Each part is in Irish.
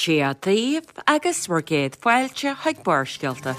Dia daoibh agus bhur gcéad fáilte chuig Barrscéalta.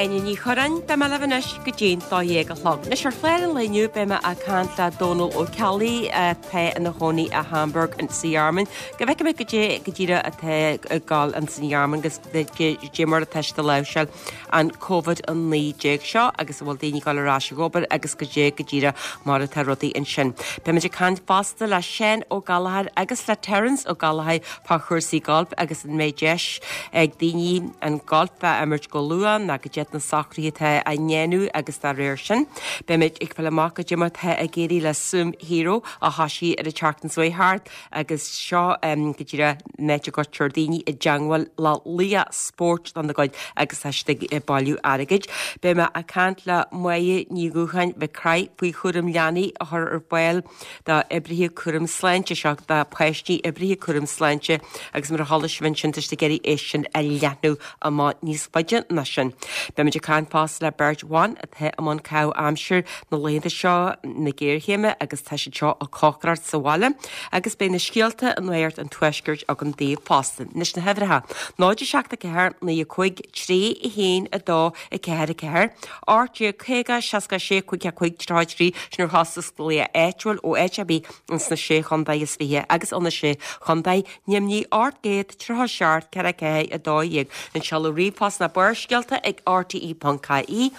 Áine Ní Churráin, beidh mé libh anois go dtí'n 12 a chlog. Anois ar chlár an lae inniu beidh mé ag caint le Dónal Ó Ceallaigh atá ina chónaí i Hamburg sa Ghearmáin. Go bhfeicfidh mé goidé go díreach atá ag gabháil ann san Ghearmáin agus goidé mar atá siad ag láimhseáil an Covid-19 seo agus an bhfuil daoine ag dul ar ais ag obair agus goidé go díreach mar atá rudaí ansin. Beimid ag caint fosta le Seán Ó Gallchóir agus le Terence Ó Gallchóir fá chúrsaí gailf agus an mbeidh deis ag daoine an golf a imirt go luath nó goidé na socruithe atá á ndéanamh agus dá réir sin. Beimid ag fáil amach goidé mar atá ag éirí le Swim Hero a thoisigh ar an tseachtain seo thart agus seo go díreach an áit a gcuirtear daoine i dteangmháil le laoch spóirt dá gcuid agus tá siad ag bailiú airgid. Beidh mé ag caint le Máire Ní Dhúcháin Mhic Craith faoi chúram leanaí a chur ar fáil d'oibrithe cúram sláinte, seo do pháistí oibrithe cúram sláinte agus mar a chuala sibh ansin tá siad ag iarraidh é sin a leathnú amach níos faide ná sin. Beimid ag caint fosta le beirt bhan atá i mbun caitheamh aimsire na laethanta seo na géarchéime agus tá siad seo ag cócaireacht sa bhaile agus beidh na scéalta i Nuacht an Tuaiscirt agam daoibh fosta. Anois na huimhreacha, 0 7 4 9 5 3 1 2 4 4, 18 50 66 5 5 33, sin ar chostas glaoch áitiúil ó áit ar bith ins na Sé Chontae is Fiche agus ó na Sé Chontae Neimnigh 837 4 4 12. An seoladh ríomhphost ná barrscéalta ag rte.ie.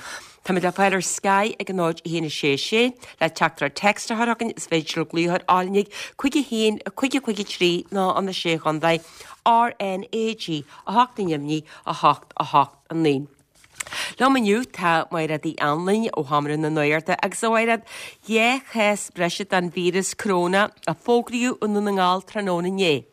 Táimid le fáil ar Sky ag 0 1 6 6. Le teachtaireacht text a chur chugainn is féidir glaoch ar áinnigh 5 1 5 5 3 nó an 6 Chontae RnaG 8 Neimnigh 8 8 9. Liom inniu tá Mairéad Uí Anluain ó Sheomra na Nuachta agus a Mhairéad, 2 chás breise den víreas coróna a fógraíodh i nDún na nGall tráthnóna inné.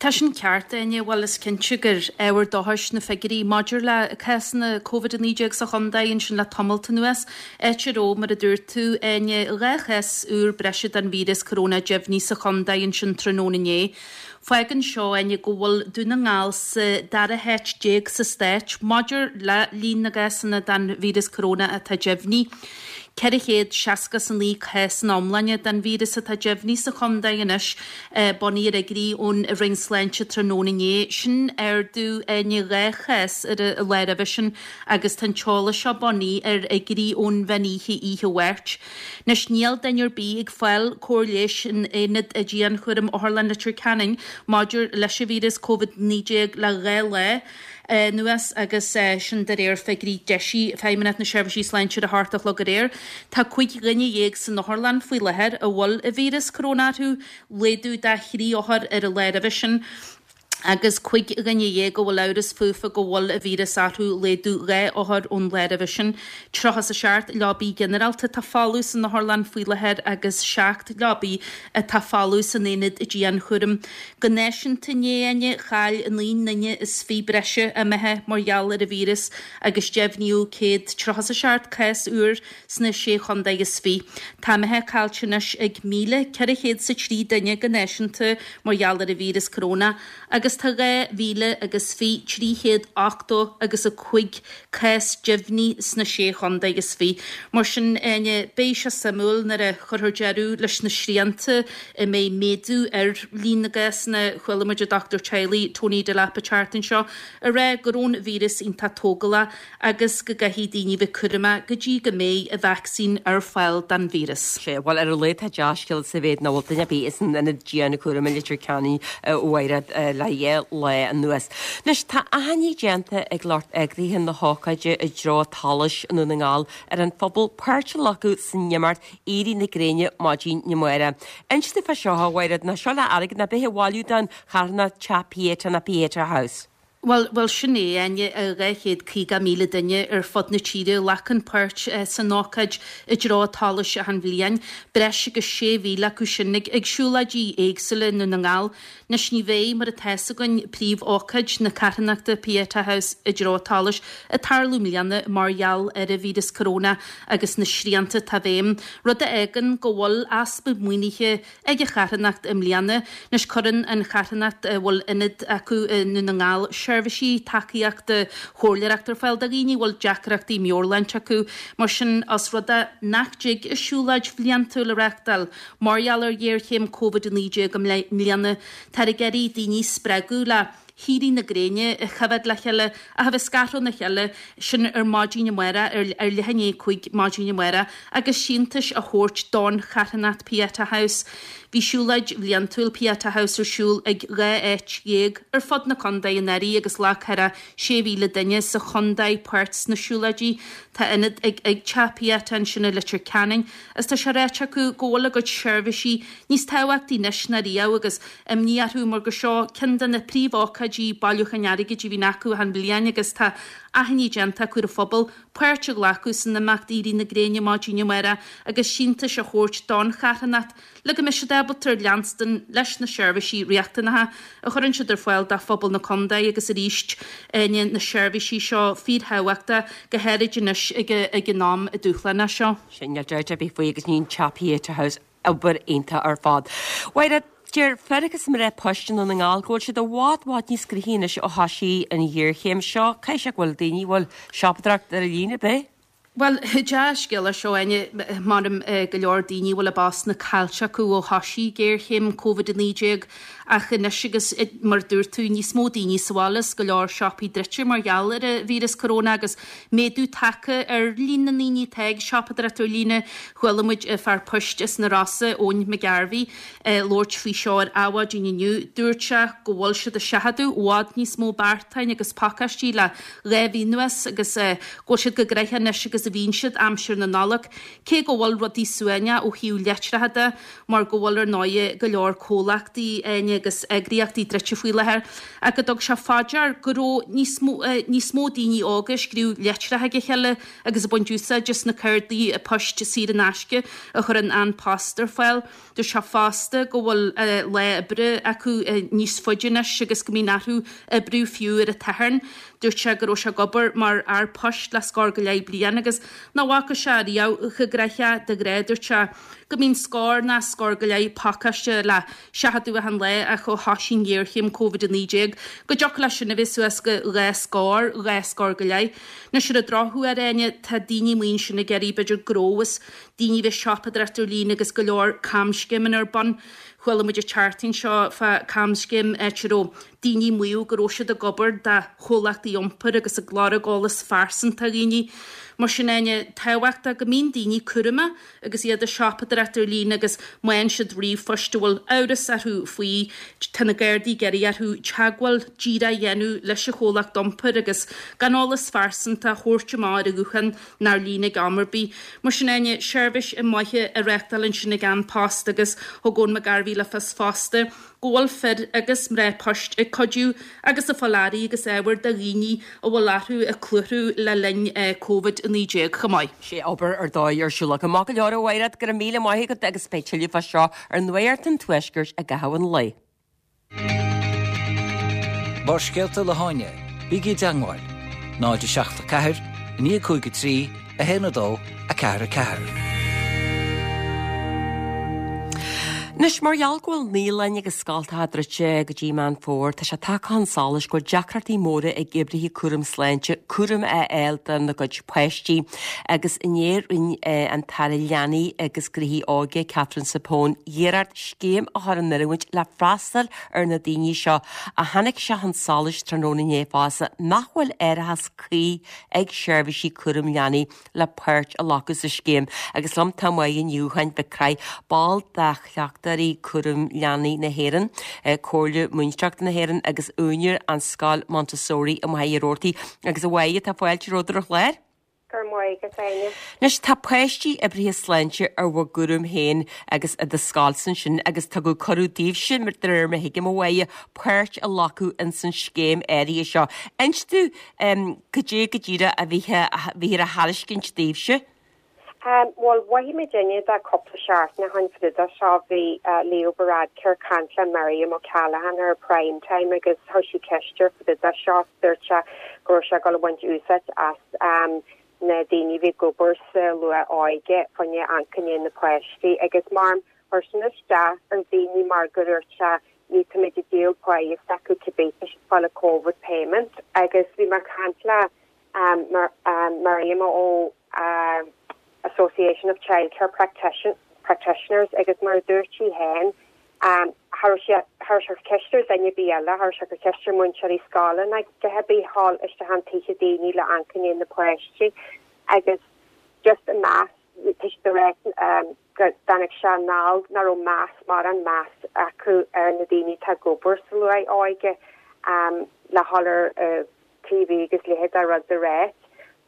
Tá sin ceart, Áine. Bhuel, is cinnte gur ábhar dóchais na figiúirí maidir le cásanna Covid-19 sa chontae ansin le tamalt anuas, áit a raibh, mar a dúirt tú, Áine, 2 chás úr breise den víreas coróna deimhnithe sa chontae ansin tráthnóna inné. Fágann seo, Áine, go bhfuil Dún na nGall sa dara háit déag sa stát maidir le líon na gcásanna den víreas coróna atá deimhnithe. 469 cás ina iomláine den víreas atá deimhnithe sa chontae anois, bunaithe ar fhigiúirí ón Roinn Sláinte tráthnóna inné. Sin ardú, Áine, 2 chás ar an lá roimhe sin agus tá an t-eolas seo bunaithe ar fhigiúirí ón mheán oíche oíche Mháirt. Anois níl duine ar bith ag fáil cóir leighis in Aonad Dianchúraim Otharlann Leitir Ceanainn maidir leis an víreas Covid-19 le 2 lá anuas agus sin de réir figiúirí deisidh Feidhmeannacht na Seirbhísí Sláinte ar a hocht a chlog aréir. Tá 15 dhuine san otharlann faoi láthair a bhfuil an víreas coróna orthu, laghdú de thrí othar ar an lá roimhe sin. agus 15 dhuine a bhfuil amhras fúthu go bhfuil an víreas orthu, laghdú 2 othar ón lá roimhe sin. 37 leabaí ginearálta atá folamh san otharlann faoi láthair agus 7 leabaí atá folamh san aonad dianchúraim. Go náisiúnta inné, Áine, chaill 9 nduine is 20 breise a mbeatha mar gheall ar an víreas agus deimhníodh 137 cás úr sna Sé Chontae is Fiche. Tá a mbeatha caillte anois ag 1,403 duine go náisiúnta mar gheall ar an víreas coróna agus tá 2,000 agus 20, 380 agus 5 cás deimhnithe sna Sé Chontae is Fiche. Mar sin, Áine, beidh sé suimiúil nuair a chuirfear deireadh leis na srianta an mbeidh méadú ar líon na gcásanna. Chuala muid an dochtúir teaghlaigh Tony Delap an tseachtain seo ag rá go raibh an víreas iontach tógálach agus go gcaithfidh daoine bheith cúramach go dtí go mbeidh an vacsaín ar fáil don víreas. Sea, bhuel, ar a laghad tá dea-scéala sa mhéid nach bhfuil duine ar bith san ionad dianchúraim i Leitir Ceanainn a Mhairéad le dhá lá anuas. Anois, tá achainí déanta ag lucht eagraithe na hócáide i dtreo tSolais i nDún na nGall ar an phobal páirt a ghlacadh san imeacht Éirí na Gréine maidin amárach. Inis dúinn fá seo, a Mhairéad, nó seo le airgead nó bith a bhailiú don charthanacht Teach Pieta nó Pieta House. Bhuel, bhuel, sin é, Áine, 250,000 duine ar fud na tíre a ghlacann páirt san ócáid i dtreo an tsolais achan bhliain, breis agus 6,000 acu sin ag siúlóidí éagsúla i nDún na nGall. Anois ní bheidh, mar atá fhios againn, príomhócáid na carthanachta Pieta House i dtreo an tsolais ag tarlú i mbliana mar gheall ar an víreas coróna agus na srianta atá i bhfeidhm, rud a fhágann go bhfuil easpa maoinithe ag an charthanacht i mbliana. Anois cuireann an charthanacht, a bhfuil ionad acu i nDún na nGall, seirbhísí tacaíochta chomhairleoireachta ar fáil do dhaoine a bhfuil deacrachtaí meabhairshláinte acu. Mar sin, os rud é nach dtig a siúlóid bhliantúil a reáchtáil mar gheall ar ghéarchéim Covid-19 i mbliana, táthar ag iarraidh daoine a spreagadh le héirí na gréine a choimhéad le chéile ach a bheith scartha óna chéile, sin ar maidin amárach, ar leath i ndiaidh 5 maidin amárach, agus síntiúis a thabhairt don charthanacht Pieta House. Bhí siúlóid bhliantúil Pieta House ar siúl ag 12 áit ar fud na contae anuraidh agus ghlac thar 6,000 duine sa chontae páirt sna siúlóidí. Tá ionad ag ag Teach Pieta ansin i Leitir Ceanainn agus tá sé ráite acu go bhfuil a gcuid seirbhísí níos tábhachtaí anois ná riamh agus imní orthu mar gur seo ceann de na príomhócáidí bailiúcháin airgid a bhíonn acu achan bhliain agus tá achainí déanta acu ar an phobal páirt a ghlacadh san imeacht Éirí na Gréine maidin amárach agus síntiúis a thabhairt don charthanacht le go mbeidh siad ábalta leanstan leis na seirbhísí riachtanacha a chuireann siad ar fáil do phobal na contae agus arís na seirbhísí seo fíorthábhachtach go háirid anois ag an am dúshlánach seo. Sin níl dabht ar bith faoi agus ní an Teach Pieta House Obair iontach ar fad. Mhairéad, deir fir agus mná poist i nDún na nGall go bhfuil siad i bhfad bhfad níos gnoithí anois ó thoisigh an ghéarchéim seo. Caithfidh sé go bhfuil daoine a bhfuil siopadóireacht ar líne, ab é? Bhuel, dea-scéal é seo, Áine. Measaim go leor daoine a bhfuil a bpostanna caillte acu ó thoisigh géarchéim Covid-19 ach anois agus, mar a dúirt tú, níos mó daoine sa bhaile is go leor siopaí druidte mar gheall ar an víreas coróna agus méadú tagtha ar líon na ndaoine atá ag siopadóireacht ar líne. Chuala muid fear poist as na Rosa, Eoin McGarvey, ag labhairt faoi seo ar Adhmhaidin inniu. Dúirt sé go bhfuil siad ag seachadadh i bhfad níos mó beartáin agus pacáistí le 2 mhí anuas agus go bhfuil siad chomh gnoitheach anois agus a bhíonn siad aimsir na Nollag, cé go bhfuil rudaí suaimhneach ó thaobh litreacha de mar go bhfuil ar ndóighe go leor comhlachtaí agus eagraíochtaí druidte faoi láthair ach go dtug sé fá dear go raibh níos mó níos mó daoine óga ag scríobh litreacha chuig a chéile agus ag baint úsáid as na cártaí poist saor in aisce a chuireann An Post ar fáil. Dúirt sé fosta go bhfuil lá oibre acu níos faide anois agus go mbíonn orthu oibriú fiú ar an tSatharn. Dúirt sé go raibh sé ag obair mar fhear poist le scór go leith bliain agus nach bhfaca sé riamh chomh gnoitheach de ghnáth. Dúirt sé go mbíonn scór ná scór go leith pacáiste le seachadadh achan lá ach ó thoisigh an ghéarchéim Covid-19 go dtiocfadh leis sin a bheith suas go 2 scór, 2 scór go leith. Anois ar an drochuair, Áine, tá daoine amuigh ansin ag iarraidh b'fhéidir gnó agus daoine a bheith ag siopadóireacht ar líne agus go leor camscéimeanna ar bun. Chuala muid an tseachtain seo fá camscéim áit a raibh daoine ag maíomh go raibh siad ag obair do chomhlachtaí iompair agus ag lorg eolas phearsanta dhaoine. Mar sin, Áine, tábhachtach go mbíonn daoine cúramach agus iad ag siopadóireacht ar líne agus má fhaigheann siad ríomhphost a bhfuil amhras orthu faoi, tá na Gardaí ag iarraidh orthu teagmháil díreach a dhéanamh leis an chomhlacht iompair agus gan eolas phearsanta a thabhairt amach ar an ghuthán ná ar líne ag am ar bith. Mar sin, Áine, seirbhís mhaith á reáchtáil ansin ag An Post agus thug Eoin McGarvey le fios fosta go bhfuil fir agus mná poist ag cuidiú agus ag fáil earraí agus ábhair do dhaoine a bhfuil orthu ag cluathrú le linn Covid-19 chomh maith. Sea, obair ar dóigh ar siúl acu. Maith go leor, a Mhairéad, go raibh míle maith agat agus beidh tuilleadh fá seo ar Nuacht an Tuaiscirt i gcaitheamh an lae. Barrscéalta le hÁine, bígí i dteangmháil, 0 7 4 9 5 3 1 2 4 4. Anois, mar gheall go bhfuil naíolanna agus scoltacha druidte go dtí Meán Fómhair, tá sé tagtha chun solais go bhfuil deacrachtaí móra ag oibrithe cúram sláinte cúram a fháil dona gcuid páistí. Agus inné rinne an tAire Leanaí agus Gnóthaí Óige, Catherine Zappone, iarracht scéim a chur in oiriúint le freastal ar na daoine seo ach tháinig sé chun solais tráthnóna inné fosta nach bhfuil árachas cuí ag seirbhísí cúram leanaí le páirt a ghlacadh sa scéim agus liom tá Máire Ní Dhúcháin Mhic Craith, ball de Chleachtóirí Cúram Leanaí na hÉireann, Comhairle Múinteoireachta na hÉireann agus úinéir an Scoil Montessori i Machaire Rabhartaigh. Agus a Mháire, tá fáilte romhat ar an chlár. Go raibh maith agat, Áine. Anois, tá páistí oibrithe sláinte ar bhur gcúram féin agus i do scoilsa ansin agus tugadh cuireadh daoibhse, de réir mar a thuigim, a Mháire, páirt a ghlacadh ins an scéim áirithe seo. Inis domh cad é go díreach a bhíthear a thairiscint daoibhse. Bhuel, mhothaigh muid inne de cúpla seachtain ó shin fá dtaobh de seo, bhí Leo Varadkar ag caint le Miriam O'Callaghan ar Prime Time agus chuir sí ceist air fá dtaobh de seo. Dúirt sé go raibh sé ag dul a bhaint úsáid as na daoine a bhí ag obair sa luath-óige fá choinne amharc i ndiaidh na páistí agus mar chuir sin isteach ar dhaoine mar go dúirt sé ní táimid ag díol páighe s'acu cibé tá siad ag fáil a Covid payment agus bhí mé ag caint le Miriam ó Association of Childcare Practitioners agus mar a dúirt sí féin, cha raibh sé, cha raibh sé ag cur ceist ar dhuine ar bith eile, cha raibh sé ag cur ceist ar múinteoirí scoile ná a dhath ar bith a ghabháil isteach chun tithe daoine le amharc i ndiaidh na páistí agus just an meas, tá siad ag rá go dtáinig sé anall nach raibh meas, mórán meas acu ar na daoine atá ag obair sa luath-óige le dhul ar TV agus leithéid de rud a ráit.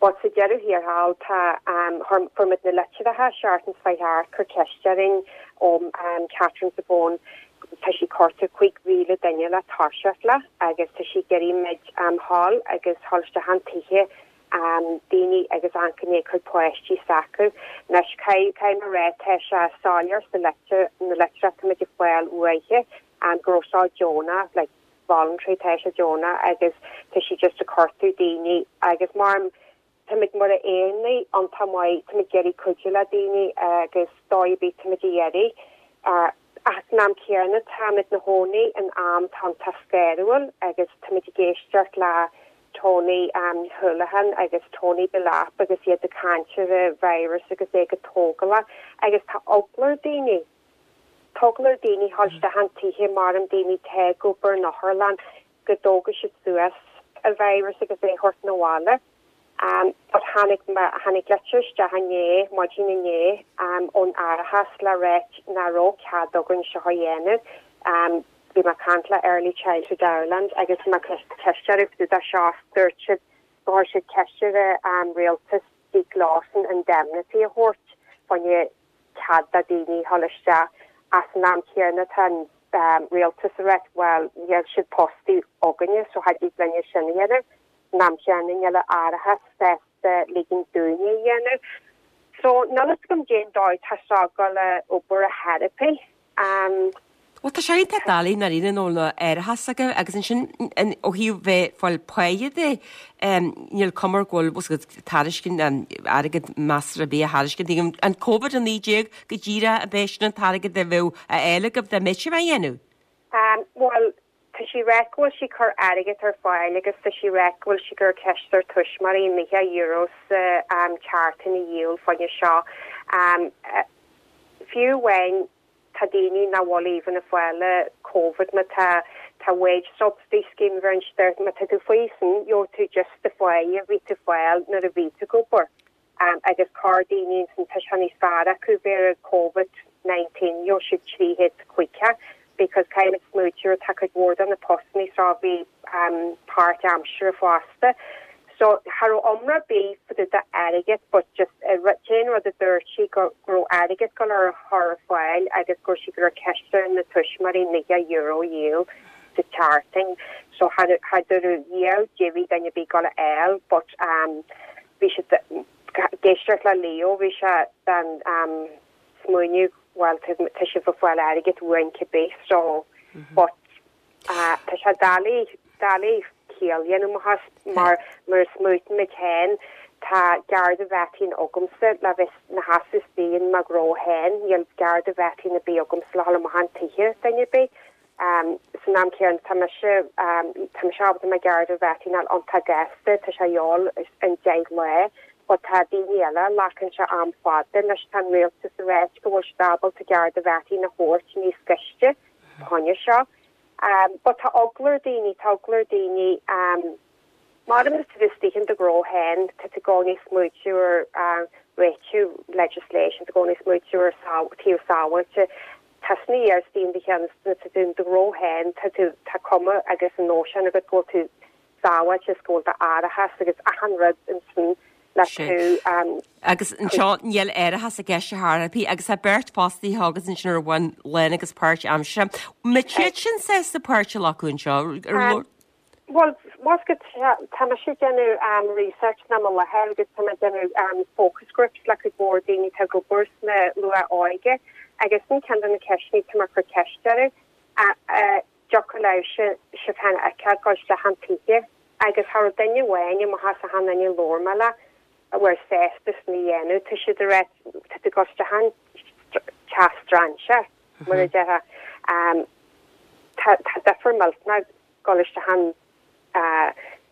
But sa deireadh thiar thall tá chuir fuair muid na litreacha seachtain seo chuaigh thart cur ceist orainn ó Catherine Zappone tá sí cuartú 5,000 duine le toiseacht le agus tá sí ag iarraidh muid dhul agus dhul isteach chun tithe daoine agus amharc i ndiaidh cuid páistí s'acu. Anois caithfidh mé a rá tá sé soiléir sa litir na litreacha tá muid ag fáil uaithi go raibh seo deonach like voluntary tá sé deonach agus tá sí just ag cuartú daoine agus mar táimid mar Éireannaigh iontach maith táimid ag iarraidh cuidiú le daoine agus dóigh ar bith táimid ag iarraidh ach san am céanna táimid 'na chónaí in am atá iontach scanrúil agus táimid ag éisteacht le Tony Holohan agus Tony Delap agus iad ag caint ar an virus agus é go tógálach agus tá eagla ar daoine. Tá eagla ar daoine dhul isteach chun tithe mar an daoine atá ag obair in otharlann go dtógfaidh siad suas an virus agus é a thabhairt 'na bhaile. But tháinig tháinig litir isteach inné, maidin inné, ón árachas le ráit nach raibh cead againn seo a dhéanamh. Bhí mé ag caint le Early Childhood Ireland agus bhí mé ag cur ceist orthu fá dtaobh de seo is dúirt siad go chuir siad ceist ar an rialtas Zeke Lawson indemnity a thabhairt fá choinne cead do daoine dhul isteach ach san am céanna tá an rialtas ag ráit bhuel níl siad póstaí againne so cha dtig linne sin a dhéanamh. San am chéanna níl an árachas sásta ligint dúinne a dhéanamh. So níl fhios agam cén dóigh tá seo ag dul a obair ar chor ar bith. Bhuel, tá sé iontach doiligh i ndáiríre nach bhfuil árachas acu agus ansin ó thaobh bheith ag fáil páighe de, níl cuma air go bhfuil bhfuil a fhios agat tairiscint airgead measartha ar bith á thairiscint ag an Covid-19 go díreach ab é sin an t-airgead a bheadh á fháil agaibh dá mbeadh sibh á dhéanamh? Bhuel, tá sí ag ráit go bhfuil sí ag cur airgead ar fáil agus tá sí ag ráit go bhfuil sí ag cur ceist ar tuismitheoirí €90 sa tseachtain a dhíol fá choinne seo. Fiú amháin tá daoine nach bhfuil even ag fáil Covid má tá tá wage subsidy scheme bheireann má tá tú faoi sin gheobhaidh tú just do pháighe a bhí tú fáil nuair a bhí tú ag obair agus corr daoine ansin tá sé níos fearr acu bheith ar Covid 19 gheobhaidh siad 350 because caithfidh muid smaoitiú ar tá cuid mhór de na postanna seo a bhí páirt aimsire fosta. So cha raibh iomrá ar bith fá dtaobh de airgead but just an t-aon rud a dúirt sí go raibh airgead dul ar chur ar fáil agus go raibh sí ag cur ceist ar na tuismitheoirí €90 a dhíol sa tseachtain. So cha dúradh dhíol débhí duine ar bith dul a fháil but bhí siad ag éisteacht le Leo bhí sé den smaoineamh bhuel tá sibh ag fáil airgead uainn cibé so but Tá sé doiligh, doiligh ciall a dhéanamh amach as mar mar a smaoitíonn muid féin, tá garda vetting agamsa le bheith 'na sheasamh istigh in mo ghnó féin, níl garda vetting ar bith agamsa le dhul amach chun tithe duine ar bith. San am céanna tá mise, tá mise ábalta mo garda vetting a fháil iontach gasta, tá sé a dhíobháil in 10 lá, but tá daoine eile, glacann sé am fada. Anois tá an rialtas ag ráit go bhfuil siad ábalta garda vetting a thabhairt níos gaiste. choinne seo. But tá eagla ar daoine, tá eagla ar daoine mar má tá tú istigh in do ghnó féin, tá tú i gcónaí ag smaoitiú ar réitiú legislation, tá tú i gcónaí ag smaoitiú ar taobh sábháilte. Tá sna ar istigh in do cheann, tá tú in do ghnó féin, tá tú, tá cuma agus an nóisean agat go bhfuil tú sábháilte is go bhfuil d'árachas agus achan rud ansin. Le tú. Agus anseo níl árachas i gceist ar chor ar bith agus tá beirt fostaithe agat ansin ar bhonn lán agus páirt aimsire. An mbeidh siad sin sásta páirt a ghlacadh anseo? Bhuel, más go tá mise ag déanamh research ná mo láthair agus tá mé ag déanamh focus groups le cuid mhór daoine atá ag obair sna luath-óige agus sin ceann de na ceisteanna atá mé ag cur ceist orthu. Dtiocfadh leibh sibh féin a fheiceáil ag dul isteach an tithe agus cha raibh duine amháin amach as achan duine a labhair mé le a bhfuil sásta sin a dhéanamh. Tá siad ag rá tá tú ag dul isteach an teach strainséir, mar a déarfá. Tá difear millteanach dul isteach an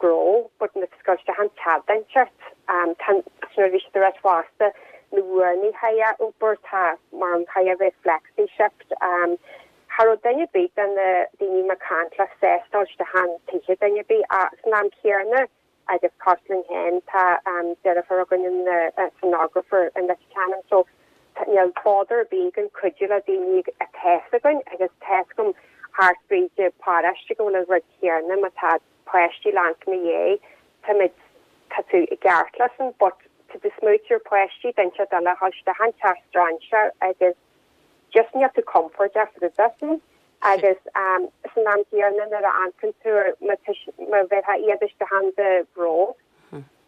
gnó but nuair atá tú ag dul isteach an teach d'inteacht. Tá nuair a bhí siad ag rá fosta na uaireanna chaithfidh a obair tá mar an chaithfidh a bheith flexi shift. Cha raibh duine ar bith de na daoine mé ag caint le sásta dul isteach an tithe duine ar bith ach san am céanna agus cosúil linn féin tá deirfiúr againn ina sonographer in Leitir Ceanainn so níl bother ar bith againn cuidiú le daoine atá 'fhios againn agus tá 'fhios agam thart fríd an paráiste go bhfuil an rud céanna má tá páistí leantaint ina dhiaidh táimid tá tú i gceart leis sin but tá tú smaoitiú ar páistí d'inteacht eile a dhul isteach an teach strainséir agus just níl tú compordach roimhe sin agus san am céanna nuair a amharcann tú ar má bheifeá iad isteach ann do ghnó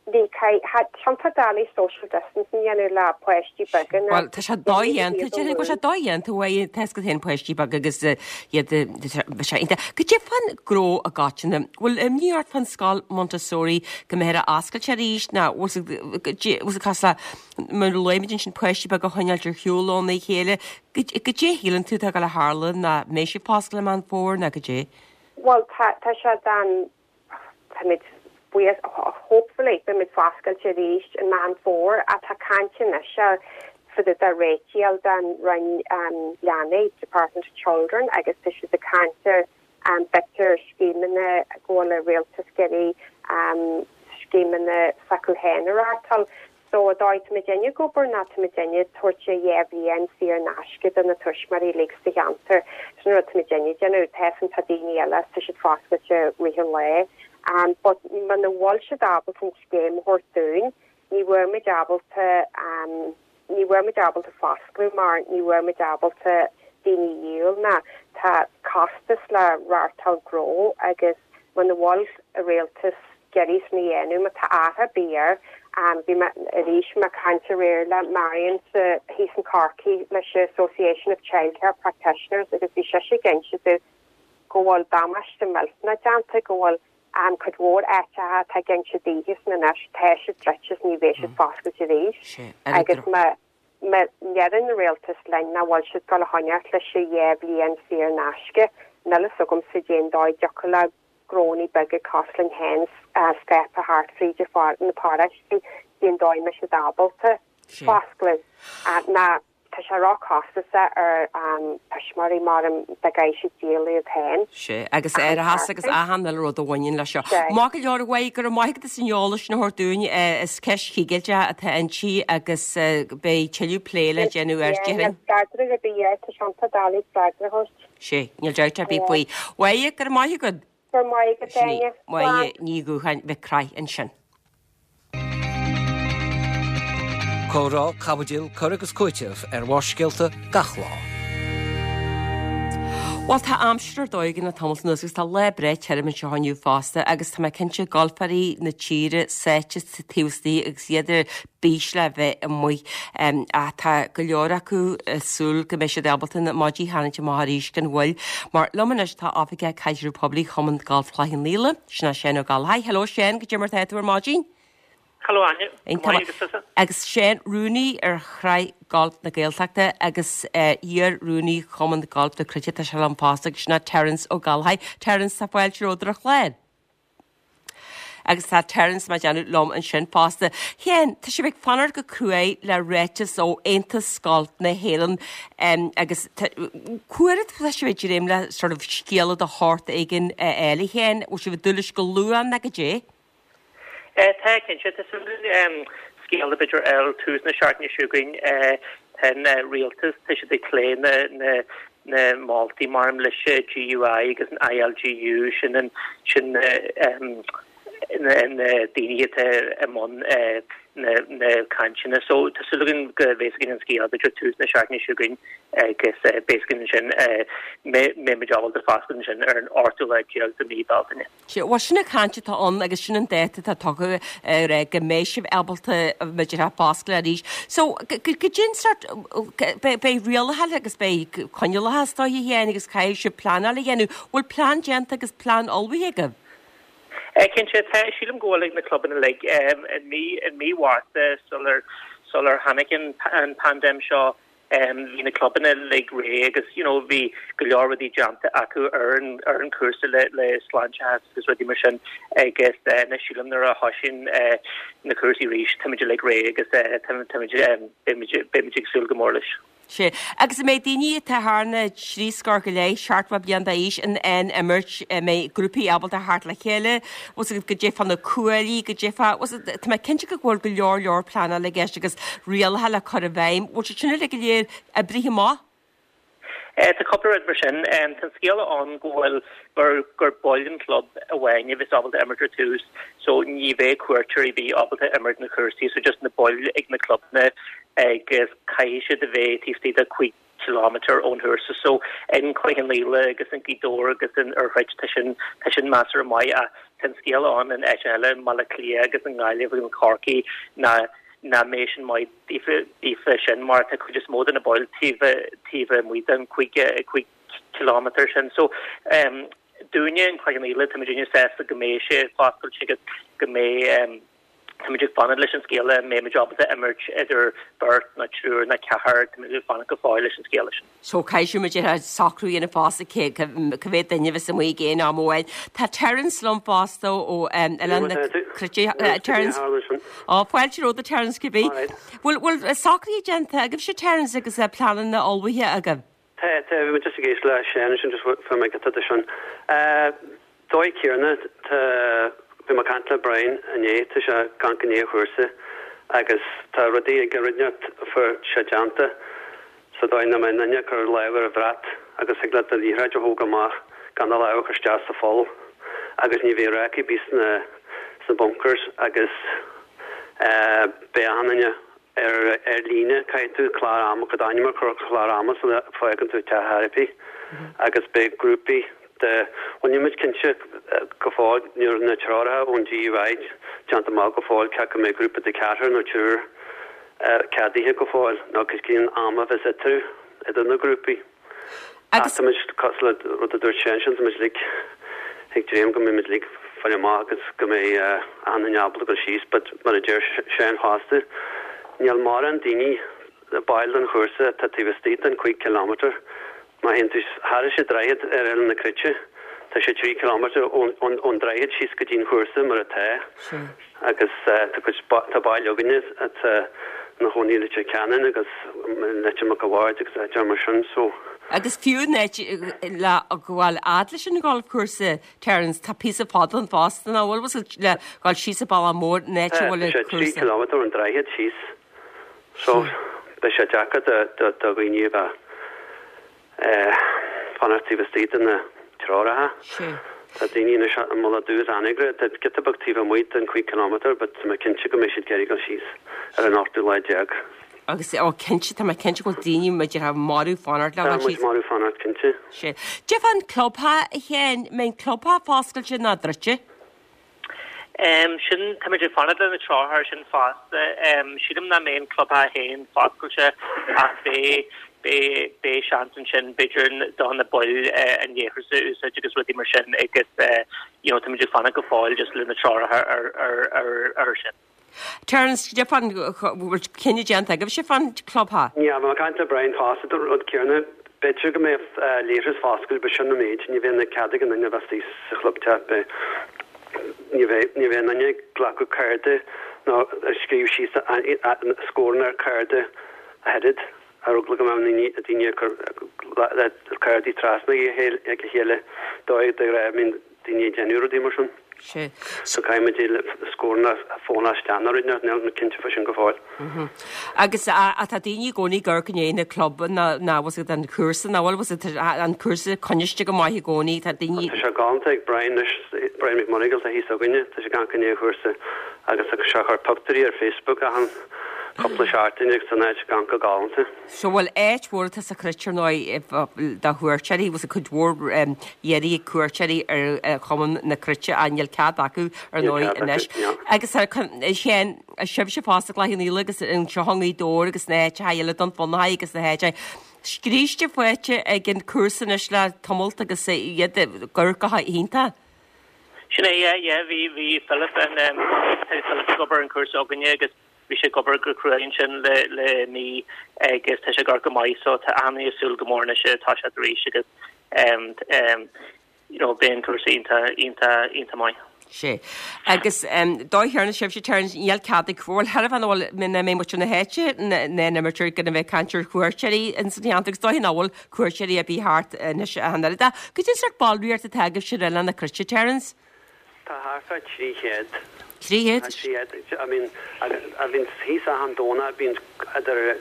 ní tá doiligh social distancing a dhéanamh le páistí beaga ná Bhuel, tá sé dodhéanta, déarfainn go bhfuil sé dodhéanta uaidh, tá 'fhios agat féin páistí beaga agus iad, tá sé iontach. Goidé fán gnó i gcoitinne, bhfuil imní ort fán scoil Montessori go mbeifear á oscailt arís nó bhfuil bhfuil cosúil le Mar a luaigh muid ansin, páistí beaga a choinneáilt ar shiúl óna chéile. Goidé a shíleann tú atá ag dul a tharlú, ná mbeidh siad foscailte i Meán Fómhair ná goidé? Bhuel, tá, tá sé dan, táimid buíoch, hopefully beimid foscailte arís i Meán Fómhair ach tá caint anois ar fá dtaobh de réitigh den Roinn Leanaí, Department of Children, agus tá siad ag caint ar b'fhéidir scéimeanna go bhfuil an rialtas ag iarraidh scéimeanna s'acu féin a reáchtáil. So, an dóigh táimidinne ag obair ná táimidinne ag tabhairt a 2 bhliain saor in aisce do na tuismitheoirí uilig sa cheantar. Sin an rud táimidinne ag déanamh. Tá 'fhios a'm tá daoine eile tá siad foscailte rith an lae. But muna bhfuil siad ábalta an scéim a thabhairt dúinn, ní bheidh muid ábalta, ní bheidh muid ábalta foscladh mar ní bheidh muid ábalta daoine a dhíol ná tá costas le reáchtáil gnó agus muna bhfuil an rialtas ag iarraidh sin a dhéanamh má tá athrú ar bith air. Bhí mé arís mé ag caint aréir le Marion sa thíos in Corcaigh leis an Association of Childcare Practitioners agus bhí sise ag inse domh go bhfuil damáiste millteanach déanta, go bhfuil cuid mhór áiteacha atá ag inse daoithe san anois, tá siad druidte is ní bheidh siad foscailte arís agus má má ndeireann an rialtas linn nach bhfuil siad ag dul a choinneáilt leis an 2 bhliain saor in aisce, níl fhios agamsa cén dóigh a dtiocfadh le gnónnaí beaga cosúil linn féin scaipthe thart fríd na paráistí, cén dóigh a mbeidh siad ábalta foscladh ná tá sé ró-chostasach ar thuismitheoirí mar dá gcaithfidh siad díol iad féin. Sea, agus árachas agus achan uile rud a bhaineann leis seo. Maith go leor, a Mháire, go raibh maith agat as an eolas sin a thabhairt dúinn. Is ceist chigilteach atá inti agus beidh tuilleadh plé le déanamh air, déarfainn. Níl freagra ar bith air, tá sé iontach doiligh freagra a thabhairt. Sea, níl dabht ar bith faoi. Mháire, go raibh maith agat. Go raibh maith agat, Sin í, Áine. Máire Ní Dhúcháin Mhic Craith ansin. Comhrá, caibidil, cur agus cúiteamh ar Bharrscéalta gach lá. Bhuel, tá aimsir ar dóigh againn le tamalt anuas agus tá lá breá tirim anseo inniu fosta agus tá mé cinnte golfóirí na tíre sáite taobh istigh agus iad ar bís le bheith amuigh. Ach tá go leor acu ag súil go mbeidh siad ábalta na maidí a tharraingt amach arís gan mhoill. Mar liom anois tá Oifigeach Caidreamh Poiblí Chumann Gailf Chloich Cheann Fhaola, sin é Seán Ó Gallchóir. Hello Seán, goidé mar tá tú ar maidin? Hello Áine, go maith agus tusa? Agus Seán, rúnaí ar Shraith Gailf na Gaeltachta agus iar-rúnaí Chumann Gailf na Cruite, tá sé liom fosta agus sin é Terence Ó Gallchóir. Terence, tá fáilte romhat ar an chlár. Agus tá Terence mar déanamh liom ansin fosta. Sheáin, tá sibh ag fanacht go cruaidh le ráiteas ó Aontas Gailf na hÉireann agus cá huair atá sibh ag dréim le sort of scéala de shórt éigin a fháil, a Sheáin? Bhfuil sibh ag dúil leis go luath nó goidé? Tá, cinnte. Tá súil againn scéala b'fhéidir a fháil tús na seachtaine seo chugainn. Tá an rialtas, tá siad ag plé na na moltaí maram leis an GUI agus an ILGU, sin an, sin na. Na daoine atá i mbun na cainteanna. So tá súil againn go mbeidh againn an scéal b'fhéidir tús na seachtaine seo chugainn agus beidh againn ansin mbeidh muid ábalta foscailt ansin ar an ochtú lá déag de mhí Bealtaine. Sea, bhuel sin an chaint atá ann agus sin an dáta atá tugtha ar go mbeidh sibh ábalta b'fhéidir foscailt arís. So goidé an sórt beidh rialacha agus beidh coinníollacha is dóiche féin agus caithfidh sibh pleanáil a dhéanamh. Bhfuil plean déanta agus plean ullmhaithe agaibh? Cinnte, tá. Sílim go bhfuil ag na clubanna uilig. I mí i mí Mhárta sular sular tháinig an an paindéim seo bhí na clubanna uilig réidh agus you know bhí go leor rudaí déanta acu ar an ar an chúrsa le le sláinteachas agus rudaí mar sin agus anois sílim nuair a thosaíonn na cúrsaí arís táimid uilig réidh agus táimid beimid beimid ag súil go mór leis. Sea. Agus an mbeidh daoine atá thar na trí scór go leith, 70 bliain d'aois, in ann imirt, an mbeidh grúpaí ábalta theacht le chéile, bhfuil fhios agat, goidé fá na cuaillí, goidé fá, bhfuil fhios agat, tá mé cinnte go bhfuil go leor leor pleanála i gceist agus rialacha le cur i bhfeidhm. Bhfuil siad sin uilig go léir oibrithe amach? Tá cúpla rud mar sin. Tá an scéala ann go bhfuil, gur, gur baill an chlub amháin a bheas ábalta imirt ar tús, so ní bheidh cuairteoirí ar bith ábalta imirt na chúrsaí, so just na baill ag na clubanna agus caithfidh siad a bheith taobh istigh de 5 kilometre ón chúrsa. So in Cloich Cheann Fhaola agus in Gaoth Dobhair agus in Iorras tá sin, tá sin measartha maith ach tá an scéala ann in áiteacha eile, i mBaile Átha Cliath agus i nGaillimh agus in Corcaigh ná nach mbeidh sin maith daofa, daofa sin mar tá cuid is mó de na baill taobh, taobh amuigh den 5, 5 kilometre sin. So dúinne in Cloich Cheann Fhaola tá muidinne sásta go mbeidh sé foscailte agus go mbeidh, Táimid ag fanacht leis an scéala an mbeimid ábalta imirt idir beirt nó triúr nó ceathrar, táimid ag fanacht go fóill leis an scéala sin. So caithfidh muid socrú a dhéanamh fosta cé cá mhéad duine a bheas amuigh ag aon am amháin. Tá Terence liom fosta ó Oileán na Cruite. Terence, Ó, fáilte romhat a Terence cibé. Bhfuil bhfuil socruithe déanta agaibhse Terence agus pleananna ullmhaithe agaibh? Tá, tá, bhí mé just ag éisteacht le Seán ansin just fuair mé giota de sin. Dóigh céanna, tá, bhí mé ag caint le Brian inné, tá sé ag amharc i ndiaidh an chúrsa agus tá rudaí ag rud inteacht a fuair sé déanta sa dóigh nach mbeidh aon duine ag cur lámh ar an bhrat agus thig leat do liathróid a thógáil amach gan do lámh a chur isteach sa pholl agus ní bheidh ráca ar bith sna sna bunkers agus beidh achan duine Ar ar líne, caithfidh tú clár ama, d'ainm a chur ar chlár ama sula bhfágann tú teach therapy agus beidh grúpaí de, bhuel níl muid cinnte go fóill, ní raibh na treoracha ón GUI déanta amach go fóill cé acu an mbeidh grúpa de cheathrar nó triúr ceadaithe go fóill nó cén am a bheas eatarthu, idir na grúpaí. Ach tá muid, cosúil le rud a dúirt sé ansin, tá muid uilig ag dréim go mbeidh muid uilig fáil amach agus go mbeidh achan duine ábalta dul síos but mar a deir Seán fosta, níl mórán daoine, baill den chúrsa atá taobh istigh den 5 kilometre. Má théann tú thairis an droichead ar Oileán na Cruite, tá sé 3 kilometre ón droichead síos go dtí an chúrsa mar atá. Agus tá cuid, tá baill againne atá ina chónaí i Leitir Ceanainn agus i Leitir Mhic a' Bhaird agus áiteanna mar sin so. Agus fiú an áit le gabháil fhad leis an gholfchúrsa, Terence, tá píosa fada ann fosta, nach bhfuil, bhfuil le gabháil síos an bealach mór an áit a bhfuil an cúrsa. Tá sé 3 kilometre ón droichead síos so beidh sé deacair do dhaoine a bheith Fanacht taobh istigh de na treoracha. Tá daoine anois i Mullach Dubh is Anagaire atá giota beag taobh amuigh den 5 kilometre but tá mé cinnte go mbeidh siad ag iarraidh dul síos ar an ochtú lá déag. Agus, ó cinnte, tá mé cinnte go bhfuil daoine muid marbh fanacht le dul síos. Tá muid marbh fanacht, cinnte. Sea. Cad é fán clubtheach, a Sheáin, mbeidh an clubtheach foscailte nó druidte? Sin, táimid ag fanacht le na treoracha sin fosta. Sílim nach mbeidh an clubtheach féin foscailte ach beidh, beidh, beidh seans ansin b'fhéidir do na baill an leithreas a úsáid agus rudaí mar sin agus you know táimid ag fanacht go fóill just le na treoracha ar, ar, ar, ar sin. Terence, cad é fán, bhfuil cinneadh déanta agaibhse fán clubtheach? Níl, bhí mé ag caint le Brian fosta, dúirt an rud céanna, b'fhéidir go mbeadh leithreas foscailte but sin an méid, ní bheidh cead ag aon duine a bheith istigh sa chlubteach, beidh, ní bheidh, ní bheidh aon duine ag glacadh cárta nó ag scríobh síos scóranna ar chárta ach oiread, ar eagla go mbeadh daoine ag cur cártaí trasna ag a chéile, dóigh de ghnáth, bíonn daoine ag déanamh rudaí mar sin. Sea. So caithfidh muid scóranna a fónadh isteach nó rud níl mé cinnte faoi sin go fóill. Agus tá daoine i gcónaí ag amharc i ndiaidh na clubanna ná bhfuil fhios agat an cúrsa ná bhfuil fhios agat an cúrsa coinniste go maith i gcónaí tá daoine. Tá sé galánta ag Brian anois, Brian McMonagle atá thíos againne, tá sé ag amharc i ndiaidh an chúrsa agus tá sé ag cur pictiúirí ar Facebook achan cúpla seachtain agus tá an áit ag amharc go galánta. So bhuel áit mhór atá sa Chruit ar ndóigh do chuairteoirí, bhfuil fhios agat cuid mhór iarraidh ag cuairteoirí ar Chumann na Cruite ach níl cead acu ar ndóigh anois. Agus a Sheáin, sibhse fosta i gCloich Cheann Fhaola agus anseo i nGaoth Dobhair agus na háiteacha eile Dún Fionnachaidh agus na háiteacha. Scríste faighte ag an cúrsa anois le tamalt agus iad ag amharc go hiontach. Sin é, yeah, yeah, bhí, bhí Philip an, Philip ag obair ar an chúrsa againne agus Bhí sé ag obair go crua ansin le le mí agus tá sé ag amharc go maith so tá achan duine ag súil go mór anois tá sé arís agus you know beidh an cúrsa iontach iontach iontach maith. Sea. Agus dóigh chéanna sibhse Terence níl cead ag bhuel thar a bheith bhfuil mé mbeidh muid na háite na n-imirtear gan a bheith ag caint ar chuairteoirí ins an cheantar agus dóigh nach bhfuil cuairteoirí ar bith thart anois ach an oiread. Cad é sórt ballraíocht atá agaibhse ar Oileán na Cruite Terence? Tá thart fá 300. 300? Tá 300. I mean, a bhíonn thíos achan Domhnach, bíonn idir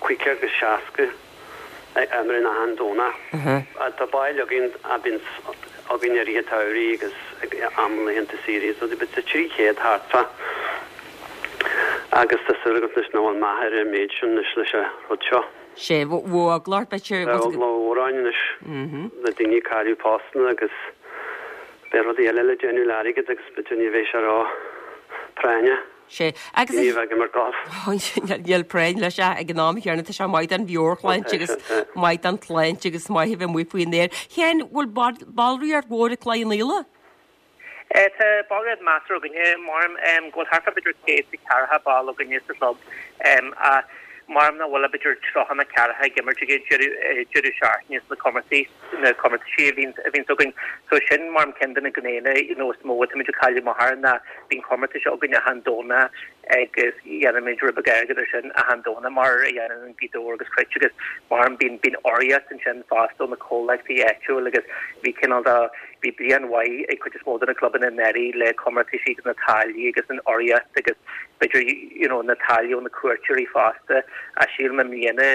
50 agus 60 ag imirt achan Domhnach. Tá baill againn a bhíonn againn i rith an tsamhraidh agus ag am laethanta saoire, so but tá 300 thart fá. Agus tá súil agam anois nach bhfuil meath ar an méid sin anois leis an rud seo. Sea, bheadh eagla ort, b'fhéidir. Bheadh eagla mhór ann anois, le daoine ag cailleadh postanna agus beidh rudaí eile le déanamh le airgead agus b'fhéidir ní bheidh sé ró-phráinneach. Sea, agus. Ní bheidh ag imirt golf. Níl práinn leis ach ag an am chéanna tá sé maith don mheabhairshláinte agus maith don tsláinte agus maith a bheith amuigh faoin aer. Sheáin, bhfuil ballraíocht mhór ag Cloich Cheann Fhaola? Tá ballraíocht measartha againne, maram go bhfuil thart fá b'fhéidir 140 ball againne sa chlub ach maram nach bhfuil ach b'fhéidir 30 nó 40 ag imirt ag an deireadh seachtaine sna comórtais, na comórtaisí a bhíonns, a bhíonns againn. So sin maram ceann de na gnéanna you know is mó atáimid ag cailleadh amach air ná bíonn comórtais againn achan Domhnach agus dhéanaimid rud beag airgead ar sin achan Domhnach mar a dhéanann an Gaoth Dobhair agus Cruit agus maram bíonn, bíonn urraíocht ansin fosta ó na comhlachtaí áitiúil agus bhí cineál de Bhí bliain mhaith ag cuid is mó de na clubanna anuraidh le comórtaisí agus na táillí agus an urraíocht agus b'fhéidir you know na táillí ó na cuairteoirí fosta ach sílim i mbliana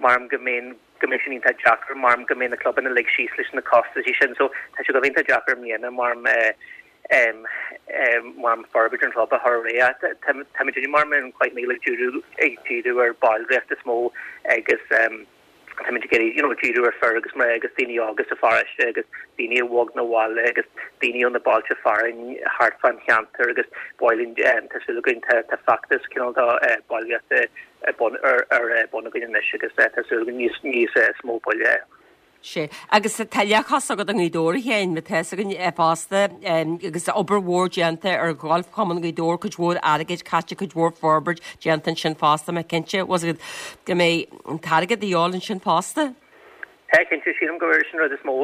maram go mbeidh go mbeidh sin iontach deacair maram go mbeidh na clubanna uilig síos leis na costaisí sin so tá sé go bheith iontach deacair i mbliana maram eh em em maram forbairt an chlub a chur ar aghaidh ach tá táimid maram in Cloich Cheann Fhaola ag díriú ag díriú ar ballraíocht is mó agus em Táimid ag iarraidh you know díriú ar fir agus mná agus daoine óga sa pharóiste agus daoine a bhog 'na bhaile agus daoine ó na bailte fearainn thart fán cheantar agus baill tá súil againn tá tá feachtas cineál de ballraíochta ar bun ar ar bun againn anois agus tá súil againn níos níos is mó baill a Sea. Agus tá leathchos agat i nGaoth Dobhair, a Sheáin, mar tá fhios againn fosta, agus obair mhór déanta ar Gholfchumann Ghaoth Dobhair, cuid mhór airgid caite, cuid mhór forbairt déanta ansin fosta, mé cinnte, bhfuil fhios agat, go mbeidh an t-airgead de dhíobháil ansin fosta. Tá, cinnte, sílim gur sin an rud is mó,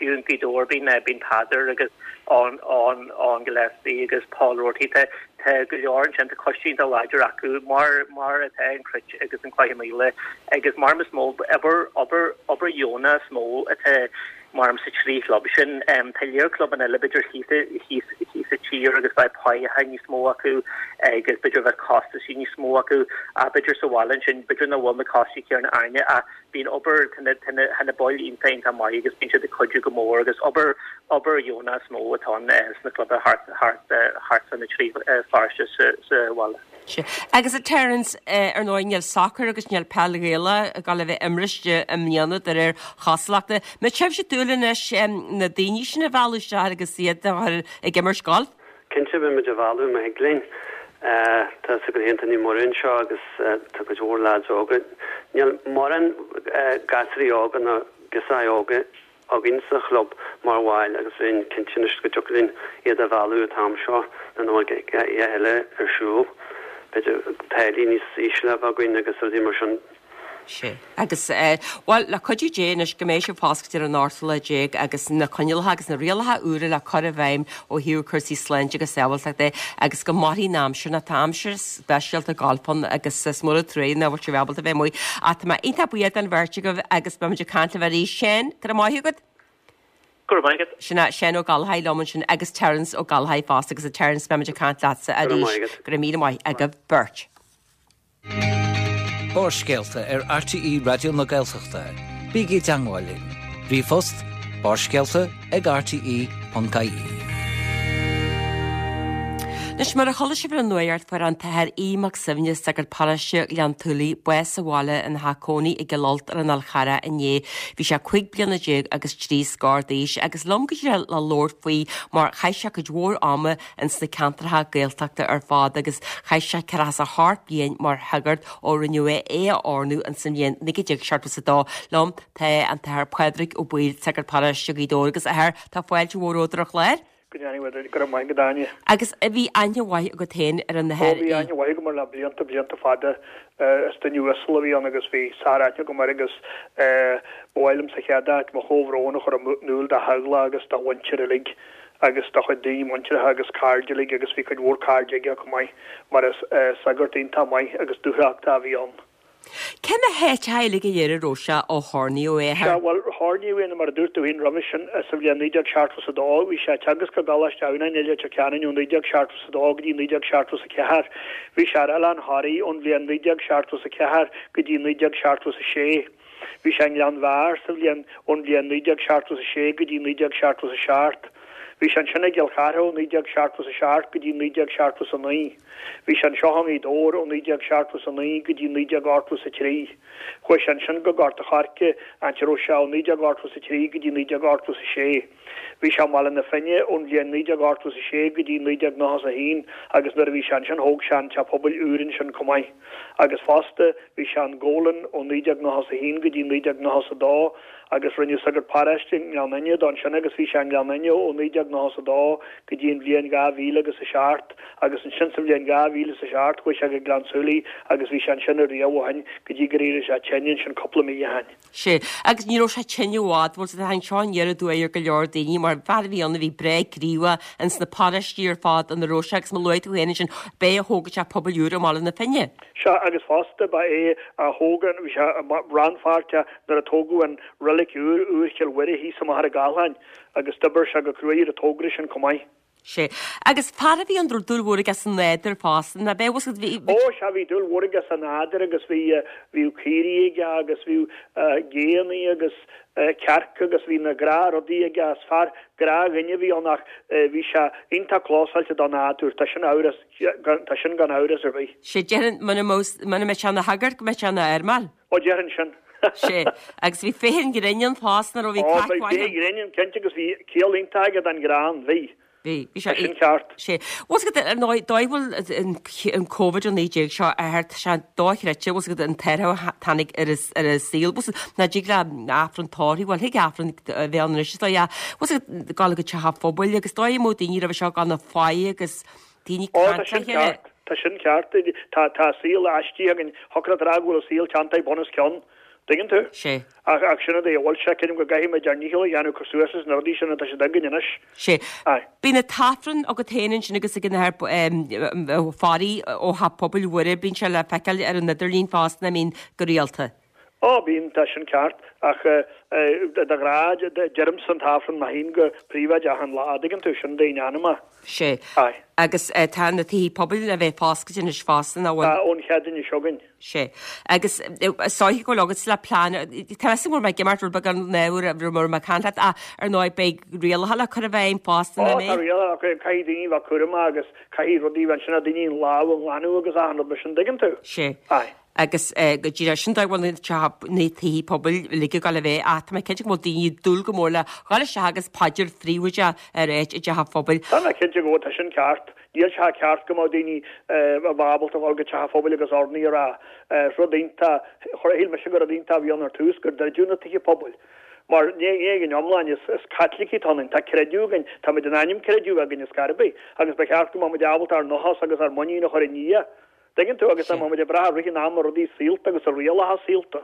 fiú i nGaoth Dobhair, bíonn, bíonn Peadar agus Eoin, Eoin, Eoin Gillespie agus Paul Roarty, tá, tá go leor ansin, tá coiste iontach láidir acu, mar, mar atá an Chruit agus an Cloich Cheann Fhaola agus maram is mó, obair, obair, obair dheonach is mó atá maram sa trí chlub sin. Tá lear clubanna eile b'fhéidir thíos, thíos, thíos sa tír agus bheadh páigheacha níos mó acu agus b'fhéidir bheadh costaisí níos mó acu ach b'fhéidir sa bhaile ansin b'fhéidir nach bhfuil na costaisí céanna orainne ach bíonn obair, tá na, tá na, tá na baill iontach, iontach maith agus bíonn siad ag cuidiú go mór agus obair, obair dheonach is mó atá ann sna clubanna thart, thart, thart fá na trí pharóiste sa, sa bhaile. Sea. Agus a Terence, ar ndóigh níl sacar agus níl peil Ghaelach ag dul a bheith imriste i mbliana de réir chosúlachta. An mbeidh sibhse ag dúil anois na daoine sin a mhealladh isteach agus iad a chur ag imirt gailf? Cinnte, beidh muid á mhealladh má thig linn. Tá fhios agat féin, tá Naomh Muire anseo agus tá cuid mhór leaids óga. Níl mórán gasraí óga nó girseachaí óga againn sa chlub mar bhaill agus bheinn cinnte anois go dtiocfadh linn iad a mhealladh an t-am seo nuair nach bhfuil a dhath eile ar siúl. B'fhéidir táillí níos ísle a bheith againn agus rudaí mar sin. Sea. Agus, bhuel, le cuidiú Dé anois go mbeidh sibh foscailte ar an ochtú lá déag agus na coinníollacha agus na rialacha úra le cur i bhfeidhm ó thaobh cúrsaí sláinte agus sábháilteachta de agus go mairfidh an aimsir nó tá aimsir speisialta gailf ann agus is mór an trua nach bhfuil sibh ábalta bheith amuigh. Ach tá mé iontach buíoch den bheirt agaibh agus beimid ag caint libh arís. Seán, go raibh maith agat. Go raibh maith agat. Sin é Seán Ó Gallchóir liom ansin agus Terence Ó Gallchóir fosta agus a Terence beimid ag caint leatsa arís. Go raibh míle maith agaibh beirt. Barrscéalta ar RTÉ Raidió na Gaeltachta. Bígí i dteangmháil linn. Ríomhphost, barrscéalta ag rte.ie. Anois, mar a chuala sibh ar an nuacht, fuair an tAthair Aodh Mac Suibhne, sagart paróiste Ghleann tSúilí, bás sa bhaile ina theach cónaí i gCill Ailt ar an Fhál Charrach inné. Bhí sé 15 bliana agus 3 scór d'aois agus liom go díreach le labhairt faoi mar chaith sé cuid mhór ama ins na ceantracha Gaeltachta ar fad agus chaith sé ceathracha is a hocht bliain mar shagart ó rinneadh é a oirniú ins an bhliain 1972. Liom tá an tAthair Pádraig Ó Baoill, sagart paróiste Ghaoth Dobhair agus a Athair, tá fáilte mhór romhat ar an chlár. Go ndéanaí duit, go raibh maith agat Áine. Agus bhí aithne mhaith agat féin ar an Ó Athair bhí aithne mhaith agam air le blianta, blianta fada. Is duine uasal a bhí ann agus bhí sár-aithne agam air agus ba mhaith liom sa chéad áit mo chomhbhrón a chur in iúl dá theaghlach agus dá mhuintir uilig agus dá chuid daoine muinteartha agus cairde uilig agus bhí cuid mhór cairde aige chomh maith mar is sagart iontach maith agus dúthrachtach a bhí ann. Cé na háiteacha uilig go léir a raibh sé ó hoirníodh é, a Athair? Sea, bhuel, hoirníodh é, mar a dúirt tú féin roimhe sin, sa bhliain 1972. Bhí sé ag teagasc i gColáiste Adhamhnáin i Leitir Ceanainn ó 1972 go dtí 1974. Bhí sé ar Oileán Thoraí ón bhliain 1974 go dtí 1976. Bhí sé i nGleann Bheatha sa bhliain ón bhliain 1976 go dtí 1977. Bhí sé ansin i gCill Chartha ó 1977 go dtí 1979. Bhí sé anseo i nGaoth Dobhair ó 1979 go dtí 1983. Chuaigh sé ansin go Gort a' Choirce, áit a raibh sé ó 1983 go dtí 1986. Bhí sé i mBaile na Finne ón bhliain 1986 go dtí 1991 agus nuair a bhí sé ansin thóg sé an teach pobail úr ansin chomh maith. Agus fosta bhí sé i nGabhla ó 1991 go dtí 1992 agus rinneadh sagart paróiste i nGleann Fhinne dó ansin agus bhí sé i nGleann Fhinne ó 1992 go dtí an bhliain 2000 agus 7 agus ansin sa bhliain 2007 chuaigh sé go Gleann tSúilí agus bhí sé ansin ariamh ó shin go dtí gur éirigh sé tinn ansin cúpla mí ó shin. Sea, agus ní raibh sé tinn i bhfad, bhfuil fhios agat, tháinig seo aniar aduaidh ar go leor daoine mar fear a bhí ann a bhí breá gníomhach ins na paróistí ar fad ina raibh sé agus mar a luaigh tú féin ansin, b'é a thóg an teach pobail úr i mBaile na Finne. Sea, agus fosta ba é a thóg an, bhí sé rannpháirteach nuair a tógadh an reilig úr, Iúr Chill Mhuire thíos i Machaire Gathlán agus d'oibir sé go cruaidh ar an togra sin chomh maith. Sea. Agus fear a bhí ann a raibh dúil mhór aige sa nádúr fosta, nach b'é, bhfuil fhios agat, bhí. Ó, sea, bhí dúil mhór aige sa nádúr agus bhí, bhíodh caoirigh aige agus bhíodh géanna agus cearca agus bhí na gnáthrudaí aige, is fear gnáthdhuine a bhí ann ach bhí sé iontach clósáilte don nádúr, tá sin amhras. Tá sin gan amhras ar bith. Sea, déarfainn, muna mbeadh sé ina shagart go mbeadh sé ina fheirmeoir. Ó, déarfainn sin. Sea, agus bhí féith an ghrinn ann fosta, nach raibh, bhí craic mhaith ann. Ó, bhí féith an ghrinn ann, cinnte, agus bhí ciall iontach aige don ghreann, bhí. Bhí, bhí sé. Tá sin ceart. Sea. Bhfuil fhios agat, ar ndóigh, dóigh bhfuil an Covid-19 seo a Athair, tá sé dochreidte, bhfuil fhios agat, an t-athrú a tháinig ar an saol, bhfuil fhios agat, nach dtig le Aifreann tórraimh, bhuel, thig Aifreann a bheith ann anois, is dóigh, ach, bhfuil fhios agat, gabháil go teach an phobail agus dóigh a mbeadh daoine roimhe seo gan na faic agus daoine Ó, tá sin ceart, tá sin ceart. Tá, tá saol aistrithe againn. Thiocfadh leat a rá go bhfuil an saol teanntaithe bun os cionn. Tuigeann tú? Sea. Ach, ach sin an dóigh a bhfuil sé. Creidim go gcaithfidh muid ár ndícheall a dhéanamh cur suas leis na rudaí sin atá siad againn anois. Sea. Aye. Bíonn an t-Aifreann agat féin ansin agus ag an Athair Pháidí ó Theach Pobail Mhuire, bíonn sé le feiceáil ar an idirlíon fosta, I mean, go rialta. Ó, bíonn, tá sin ceart, ach de ghnáth, deirimse an t-Aifreann mé féin go príobháideach achan lá, an dtuigeann tú, sin d'aon anam é. Sea. Aye. Agus tá na tithe pobail le bheith foscailte anois fosta, nach bhfuil? Tá, ón Chéadaoine seo chugainn. Sea. Agus is dóiche go bhfuil agatsa le plean, tá fhios agam go raibh mé ag imeacht rud beag an uair a raibh mé ag caint leat, ach ar ndóigh beidh rialacha le cur i bhfeidhm fosta, Ó, nach tá mbeidh? rialacha, caithfidh daoine bheith cúramach agus caithfidh rudaí a bheith ansin, daoine an lámh a ghlanadh agus achan rud mar sin, an dtuigeann tú? Sea. Aye. Agus go díreach sin dóigh a bhfuil na tithe pobail uilig ag dul a bheith ach tá mé cinnte go bhfuil daoine ag dúil go mór le dhul isteach agus paidir phríobháideach a ráit i dteach an phobail. Tá mé cinnte go bhfuil, tá sin ceart. Níl sé ceart go mbeadh daoine a bheith ábalta dhul go teach an phobail agus urnaí a rá. Rud iontach, shíl mise gur rud iontach a bhí ann ar tús gur druideadh na tithe pobail. Mar ní ag an iomlán, is Caitlicigh atá ionainn, tá creideamh againn, táimid in ainm creideamh againn ar scor ar bith, agus ba cheart go mbeadh muid ábalta ár ndóchas agus ár muinín a chur i nDia. Tuigeann tú, agus tá muid ag brath i rith an ama ar rudaí saolta agus ar rialacha saolta.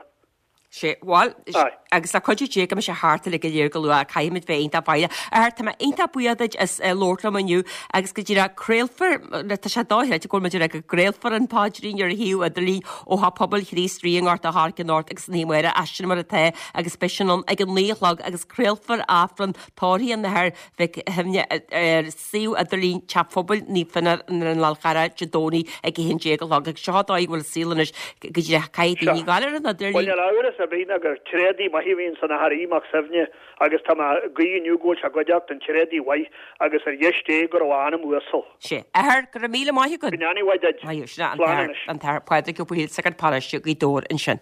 Sea, bhuel, Aye. Agus le cuidiú Dé go mbeidh sé thart uilig go léir go luath, caithfimid bheith iontach foighdeach. A Athair, tá mé iontach buíoch duit as labhairt liom inniu agus go díreach craolfar, tá sé dochreidte go bhfuil muid ag rá go gcraolfar an paidrín ar shuíomh idirlín ó Theach Pobail Chríost Rí i nGort a' Choirce anocht agus san oíche amárach as sin mar atá agus beidh sin ann ag an 9 a chlog agus craolfar Aifreann tórraimh an Athar Mhic Shuibhne ar suíomh idirlín Teach Phobail Naomh Fionán ar an Fhál Charrach Dé Domhnaigh ag 11 a chlog agus seo an dóigh a bhfuil an saol anois go díreach caithfidh daoine gabháil ar an idirlíon. Bhuel níl amhras ar bith ná gur tréadaí maith a bhí ins an Athair Aodh Mac Suibhne agus tá mé ag guí inniu go bhfuil sé i gcuideachta an tréadaí mhaith agus ar dheis Dé go raibh a anam uasal. Sea. Athair, go raibh míle maith agat. Go ndéana a mhaith duit. Maith thú. Sin é an Slán t-athair, anois. an t-athair Pádraig Ó Baoighill, sagart paróiste Ghaoth Dobhair ansin.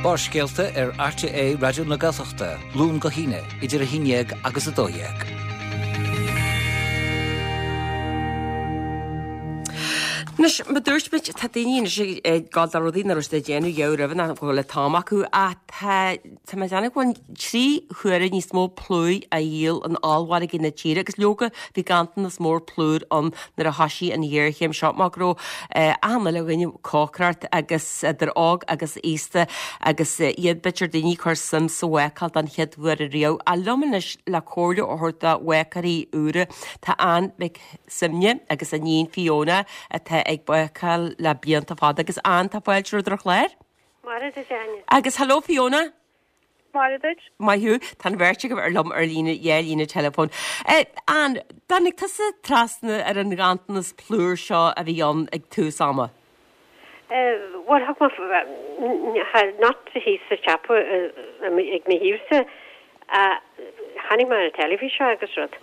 Barrscéalta ar RTÉ Raidió na Gaeltachta, Luan go hAoine, idir 11 agus 12. Anois, mar dúirt muid, tá daoine anois ag gabháil do rudaí nach raibh siad ag déanamh riamh roimhe nach bhfuil an t-am acu ach tá Tá mé ag déanamh go bhfuil 3 huaire níos mó plúir á dhíol in ollmhargaí na tíre agus leoga bhí ganntanas mór plúir ann nuair a thoisigh an ghéarchéim seo mar go raibh achan uile dhuine ag cócaireacht agus idir óg agus aosta agus iad b'fhéidir daoine ag cur suim sa bhácáil don chéad uair ariamh. Ach liom anois le comhairle a thabhairt do bhácáirí úra tá Ann Mhic Suibhne agus a níon Fiona atá ag bácáil le blianta fada agus Ann tá fáilte romhat ar an chlár. Maith duit, Áine. Agus hello Fiona. Maith duit. Maith thú. Tá an bheirt agaibh ar liom ar líne, dhá líne teileafóin. Ann, dtáinig tusa trasna ar an ghanntanas plúir seo a bhí ann ag tús ama? Bhuel, thug mé, not thíos sa siopa ag mo thaobhsa, chonaic mé ar an teilifís é agus rud.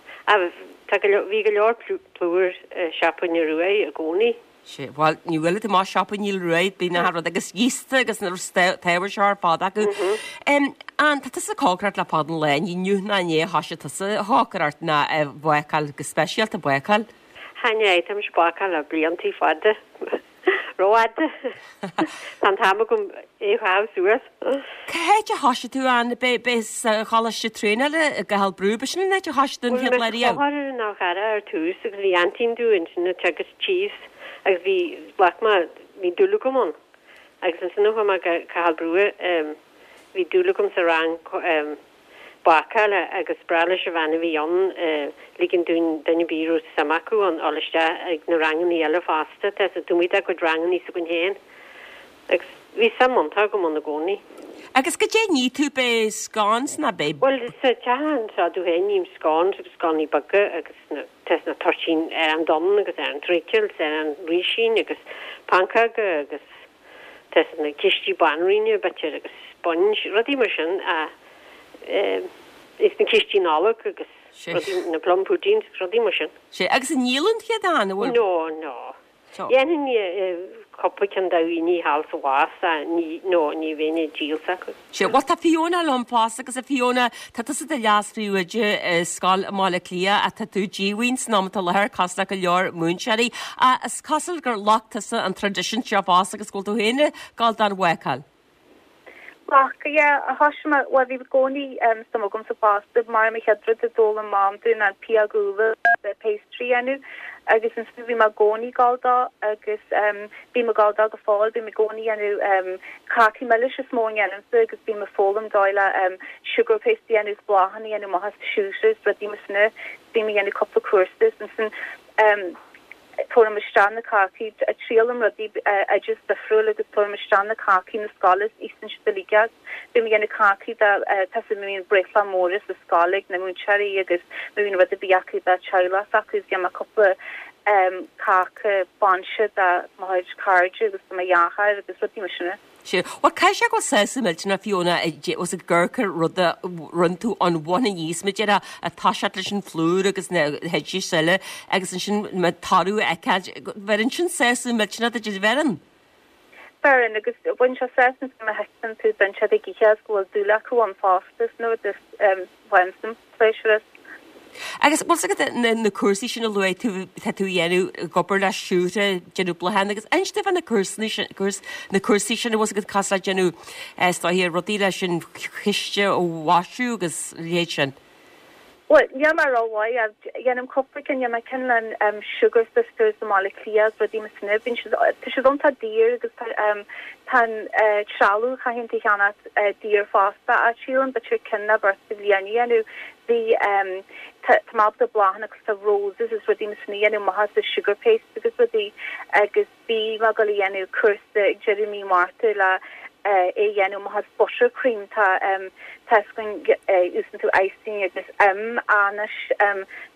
Tá go leor, bhí go leor plúir i siopa na Ruaidh i gcónaí. Sea, bhuel, ní bhfuil tú amach siopa Neil Ruaidh, bíonn achan rud agus giosta agus na t-ábhar seo ar fad acu. Ann, tá tusa ag cócaireacht le fada an lá, ní inniu ná inné a thoisigh tusa ag cócaireacht ná ag bácáil, go speisialta bácáil. Chan ea, tá mise ag bácáil le bliantaí fada, rófhada. Tá an t-am agam é a chaitheamh suas. Cá háit a thoisigh tú, Ann? B'é sa choláiste traenála i gCathal Brugha, b'shin an áit a thoisigh tú an chéad lá Bhuel, riamh? Bhí ar an Fhál Charrach ar tús agus bhí aintín domh ansin ag teagasc thíos agus bhí, ghlac mé, bhí dúil agam ann. Agus ansin a chuaigh mé go Cathal Brugha, bhí dúil agam sa rang bácála agus ba bhreá leis an bhean a bhí ann ligean dúinn duine ar bith a raibh suim acu ann dul isteach ag na rangannaí eile fosta, tá a fhios agat, taobh amuigh dá gcuid rangannaí s'againn féin. Agus bhí suim iontach agam ann i gcónaí. Agus goidé a ní tú, b'é scones ná b'é. Bhuel, sa teach anseo domh féin ním scones agus sconnaí beaga agus na, tá na toirtín arán donn agus arán treacle is arán rísín agus pancóga agus tá na cístí banríona b'fhéidir agus sponge, rudaí mar sin a, is na cístí Nollag agus rudaí, na plum puddings agus rudaí mar sin. Sea, agus an ndíolann tú iad, an bhfuil? No, no. Dhéanfainn cúpla ceann do dhaoine thall sa bhás ní, no, ní bheinn ag díol s'acu. Sea, bhuel tá Fiona liom fosta agus a Fiona, tá tusa i do leas-phríomhoide i scoil i mBaile Átha Cliath ach tá tú díomhaoin san am atá i láthair cosúil le go leor múinteoirí. Ach is cosúil gur ghlac tusa an traidisiún seo fosta agus go bhfuil tú féin ag gabháil don bhácáil. Ghlac, yeah, thoisigh mé, bhuel bhí i gcónaí suim agamsa fosta, mar mo chéad rud a d'fhoghlaim Mam dúinn ná an pióg úlla le pastry a dhéanamh agus ansin bhí mé i gcónaí ag gabháil dó agus bím ag gabháil dó go fóill, bím i gcónaí ag déanamh cácaí milis is mó a dhéanaimse agus bím ag foghlaim dóigh le sugar paste a dhéanamh is bláthanna a dhéanamh amach as siúcra is rudaí mar sin, bím ag déanamh cúpla cúrsa is ansin. Tabhairim isteach na cácaí, triailim rudaí, oideas difriúil agus tabhairim isteach na cácaí na scoile is íosann siad uilig as. Bím ag déanamh cácaí do, tá a fhios agat má bhíonn breithlá móra sa scoil ag na múinteoirí agus má bhíonn rud ar bith acu do teaghlach s'acu is déanaim cúpla cáca bainse do mo chuid cairde agus do mo dheartháir agus rudaí mar sin. Sea. Bhuel, caithfidh sé go bhfuil sásamh millteanach, Fiona, os ag amharc ar rud a rinne tú ón bhun aníos, mar a déarfá, ag toiseacht leis an phlúr agus na hoidis eile agus ansin an toradh a fheiceáil. Bheireann sin sásamh millteanach duit, an bheireann? Beireann, agus baineann sé sásamh má fheiceann tú duine ag ithe agus go bhfuil dúil acu ann fosta, is nuair a bhainim pléisiúr as. Agus bhfuil 's agat na cúrsaí sin a luaigh tú, tá tú a dhéanamh, ag obair le siúcra, déanamh bláthanna agus inis domh fá na cúrsaí sin, na cúrsaí sin, bhfuil 's agat cosúil le déanamh is dóiche rudaí leis an chiste a mhaisiú agus a leithéid sin. Bhuel, níl mé rómhaith ach dhéanaim cúpla ceann, dhein mé ceann le Sugar Sisters i mBaile Átha Cliath agus rudaí mar sin. Bíonn siad, tá siad iontach daor agus tá tá an trealamh a chaitheann tú a cheannacht daor fosta ach sílim b'fhéidir ceann nó beirt sa bhliain a dhéanamh. Bhí tá tá mé ábalta bláthanna cosúil le roses is rudaí mar sin a dhéanamh amach as sugar paste agus rudaí agus Bhí mé ag dul a dhéanamh cúrsa ag deireadh mí Márta le é a dhéanamh amach as buttercream. Tá tá 'fhios againn úsáideann tú icing agus im anois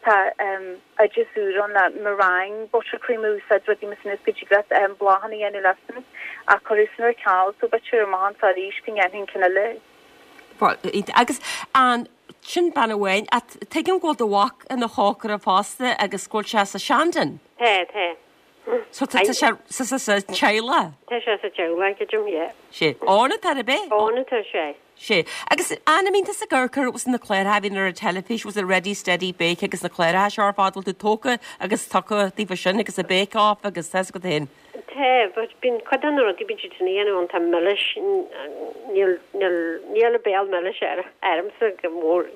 tá oideas úr ann le meringue buttercream a úsáid, rudaí mar sin is go dtig leat bláthanna a dhéanamh leis sin ach cuireadh sin ar ceal so b'fhéidir amach anseo arís go ndéanfainn ceann eile. Agus an sin bean amháin ach tuigim go bhfuil do mhac ina chócaire fosta agus go bhfuil sé sa Shandon. Tá, tá. So tá sé sa sa sa teaghlach? Tá sé sa teaghlach, creidim, yeah. Sé. Ann atá ar bith? Ann atá sé. Sé. Agus an mbíonn tusa ag amharc ar na cláracha a bhíonn ar an teilifís, was it Ready Steady Bake agus na cláracha seo ar fad, bhfuil tú tógtha agus tugtha daofa sin agus an Bake Off agus tá 'fhios agat féin? Tá, but bíonn cuid de na rudaí bíonn siad sin a dhéanamh iontach milis, níl, níl, níl an béal milis ar, ormsa go mór,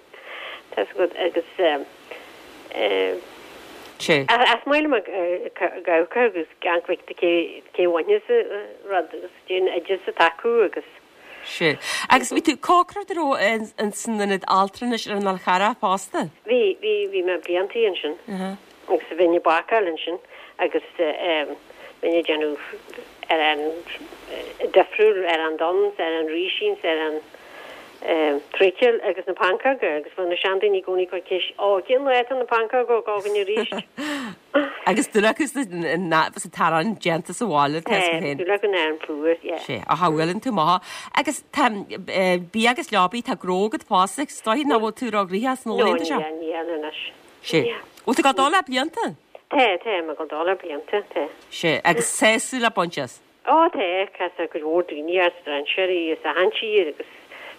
tá 'fhios agat, agus eh, eh, Sé. Is maith liom ag amharc agus ag amharc cé cé bhainfeas an rud agus cén oideas atá acu agus. Sé. Agus bhí tú ag cócaireacht an raibh ins an ionad altranais ar an Fhál Charrach fosta? Bhí, bhí, bhí mé bliantaí ansin. Agus bhínn ag bácáil ansin agus bhínn ag déanamh arán difriúil, arán donn, arán rísín, arán truicil agus na pancóga agus bheadh na seandaoine i gcónaí ag cur ceist, Ó, cén lá atá na pancóga ag gabháil againn arís? Agus dúil acu sa t-arán déanta sa bhaile, tá 'fhios agat féin. Dúil acu in arán plúir, yeah. Sé, ach a bhuaileann tú amach. Agus tá bia agus leobaí, tá gnó agat fosta, is dóigh nach bhfuil tú ró-ghnóthach sna laethanta seo? No, níl, níl anois. Sé. Bhfuil tú ag dul le blianta? Tá, tá, mé ag dul le blianta, tá. Sé, agus sásúil le baint as? Ó tá, castar cuid mhór daoine as strainséirí as achan tír agus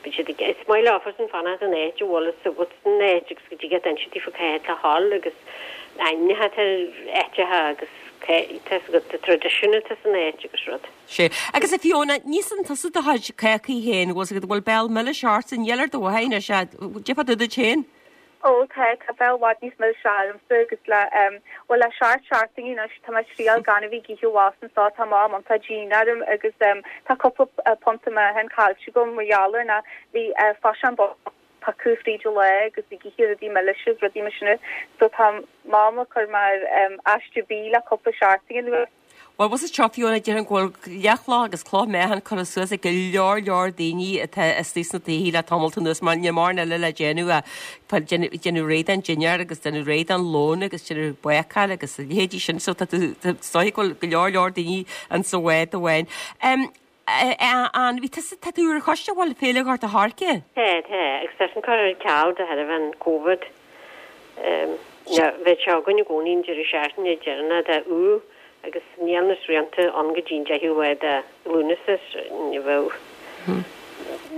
bíonn siad ag, is maith leofasan fanacht in áit a bhfuil fhios agat san áit agus go dtig leat inse daofa cá háit le dhul agus ainmneacha atá ar áiteacha agus cá, tá fhios agat, traidisiún atá san áit agus rud. Sé. Agus a Fiona, ní híosann tusa do chuid cácaí féin, bhfuil 's agat, bhfuil béal milis ortsa, níl ar do mhaithe anois, déarfá tú duit féin? Ó tá, tá béal i bhfad níos milse ormsa agus le, em, bhuel le seacht seachtainí anois tá mé ag triail gan a bheith ag ithe abhus anso, tá m'am iontach dian orm agus, em, tá cúpla punta meáchain caillte agam mar gheall air ná bhí, eh, faisean piocadh fríd an lá agus ag ithe rudaí milise agus rudaí mar sin so tá Mam ag cur mé ar, em, aiste bídh le cúpla seachtain anuas. Bhuel, bhfuil 's agat seo, Fiona, déarfainn go bhfuil leathchloch agus cloch meáchain curtha suas ag go leor leor daoine atá istigh sna tithe le tamalt anuas mar níl mórán eile le déanamh ach déanamh réidh don dinnéar agus déanamh réidh don lón agus déanamh bácáil agus a leithéidí sin so tá tú is dóigh go bhfuil go leor leor daoine insa bhád amháin. An, bhí tusa, tá tú ar choiste bhfuil Féile Ghort a' Choirce? Tá, tá, agus tá sin curtha ar ceal de thairbhe an Covid. Bheadh sé againn i gcónaí an deireadh seachtaine deireanach de Iúil agus níl na srianta ann go dtí an 10ú lá de Lúnasa, ní bheadh,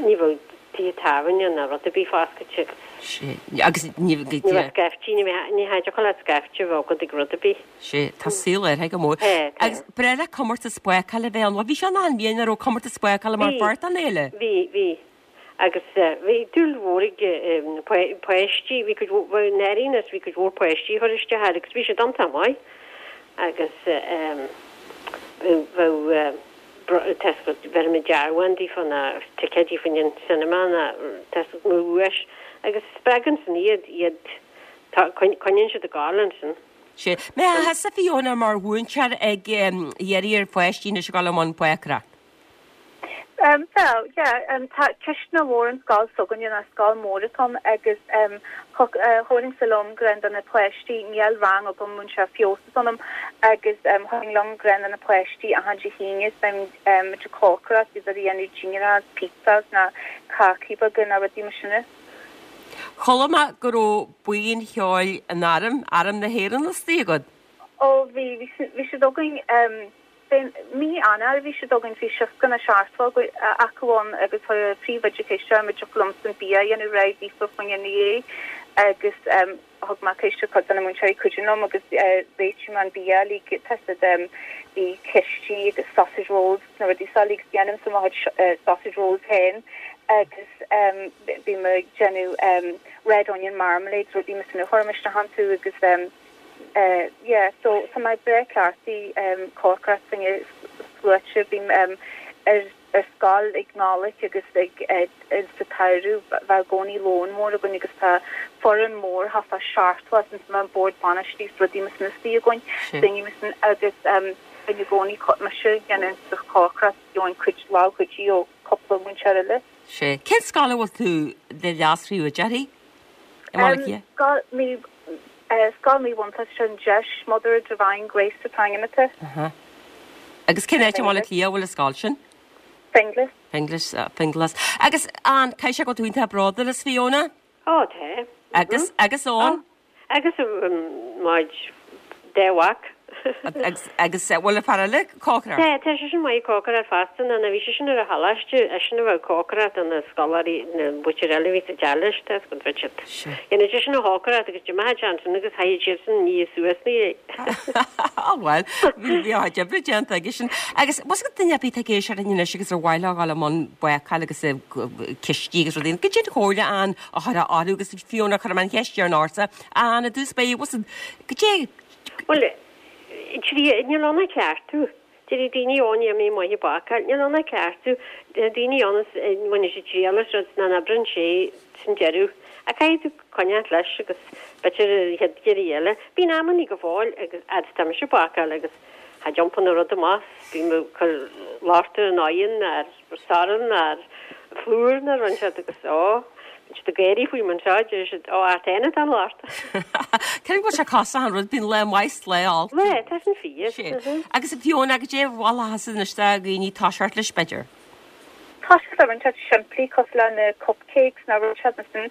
ní bheadh tithe tábhairne ná rud ar bith foscailte agus. Sé, agus ní bheadh scaifte, ní bheadh, ní thiocfadh leat scaifte a bheith agat ag rud ar bith. Sé, tá saol athraithe go mór. Tá, tá. Agus ba bhreá leat comórtas bácála a bheith ann. Bhuel, bhí sé ann achan bhliain, an raibh comórtas bácála mar Bhí, pháirt den fhéile? bhí, bhí. Agus bhí dúil mhór ag na páistí, bhí cuid mhór, bhuel, i ndáiríre bhí cuid mhór páistí a chuir isteach air agus bhí siad iontach maith. Agus bheadh, tá 's agat, bheireadh muid dearbhán daofa nó ticéidí fá choinne an cinema nó tá 's agat, mar dhuais. Agus spreagann sin iad, iad, tá, coinníonn siad ag gabháil ansin. Sé. Mbeifeá thusa Fiona mar mhúinteoir ag iarraidh ar pháistí anois a ghabháil i mbun bácaireacht? Bhuel, yeah, tá cisteanach mhór an scoil s'againne ná scoil mhór atá ann agus thabharfainnse liom greann do na páistí, níl rang agam múinteoir feabhas ionam agus thabharfainn liom greann do na páistí achan Dé hAoine is beidh muid ag cócaireacht, iad ag déanamh dinnéar, pizzas ná cácaí beaga ná rudaí mar sin. Chuala mé go raibh buíon cheoil an airm, Arm na hÉireann istigh agat. Ó bhí, bhí siad againn, fén mí Eanáir a bhí siad againn, bhí 60 nó 70 acu ann agus chuir an príomhoide ceist orm an dtiocfadh liomsa an bia a dhéanamh réidh daofa fá choinne inné agus thug mé ceist ar chuid de na múinteoirí cuidiú liom agus réitigh mé an bia uilig, tá 's agat, bhí cistí agus sausage rolls na rudaí seo uilig, déanaimse mo chuid sausage rolls féin agus. bím ag déanamh red onion marmalade, rudaí mar sin a chuirim isteach iontu agus yeah so tá mé breá cleachtaithe cócaireacht fá choinne sluaite, bím ar ar scoil ag Nollaig agus ag sa tsamhradh bheadh i gcónaí lón mór againn agus tá foireann mór thart fá 70 as an bord bainistí is rudaí mar sin istigh againn, daoine mar sin agus bíonn i gcónaí mise ag déanamh cócaireacht gheobhainn cuid lámhchuidiú ó cúpla múinteoir eile. Sea. Cén scoil a bhfuil tú de leas-phríomhoide uirthi i mBaile Átha Cliath? Scoil Naomh Scoil Naomh Fhionntaigh ar an Deis, Mother Divine Grace an t-ainm atá. Aha. Agus cén áit i mBaile Átha Cliath a bhfuil an scoil sin? Finglas. Finglas, Finglas. Agus an, caithfidh sé go bhfuil tú iontach bródúil as Fiona? Ó, tá. Agus, agus Eoin? Agus muid dá mhac. Agus, agus bhfuil an fear eile ag cócaireacht? Tá, tá seisean maith ag cócaireacht fosta, nó bhí seisean ar an choláiste, eisean a bheadh ag cócaireacht do na scoláirí, na muintir eile a bhí sa teach leis, tá 's agat, bheadh siad. Dhéanadh seisean an chócaireacht agus d'imeodh sé ansin agus thagadh siadsan ag ní suas ina dhiaidh. Á bhuel, bhí bhí a chuid oibre déanta aige sin. Agus bhfuil 's agat duine ar bith atá ag éisteacht linn anois agus ar mhaith leo a dhul i mbun bácáil agus cistí agus rudaí, goidé an chomhairle an a chuirfeá orthu agus Fiona chuir mé an cheist dheireanach ortsa, Ann, i dtús báire, bhfuil 's agat, goidé. Bhuel, níl ann ach cleachtadh. Déarfaidh daoine, ó, níl mé maith ag bácáil. Níl ann ach cleachtadh. Tá daoine ann is baineann siad triail as rud nach n-oibreann sé san deireadh. Ach caithfidh tú coinneáilt leis agus b'fhéidir an chéad iarraidh eile. Bíonn amannaí go fóill agus fhad is tá mise ag bácáil agus cha dtiompaíonn an rud amach, bím ag cur locht ar an oigheann, ar sorn, ar phlúr nó rud inteacht agus ó, bíonn siad ag gáirí faoi mar seo, deir siad, ó, ort féin atá an locht. Cén go bhfuil sé cosúil an rud, bíonn lá maith is lá olc. Lá, tá sin fíor. Sea. Agus Fiona, goidé a mholfá anois do dhaoine toiseacht leis, b'fhéidir? Toiseacht le rud inteacht simplí cosúil le na cupcakes nó rud inteacht mar sin,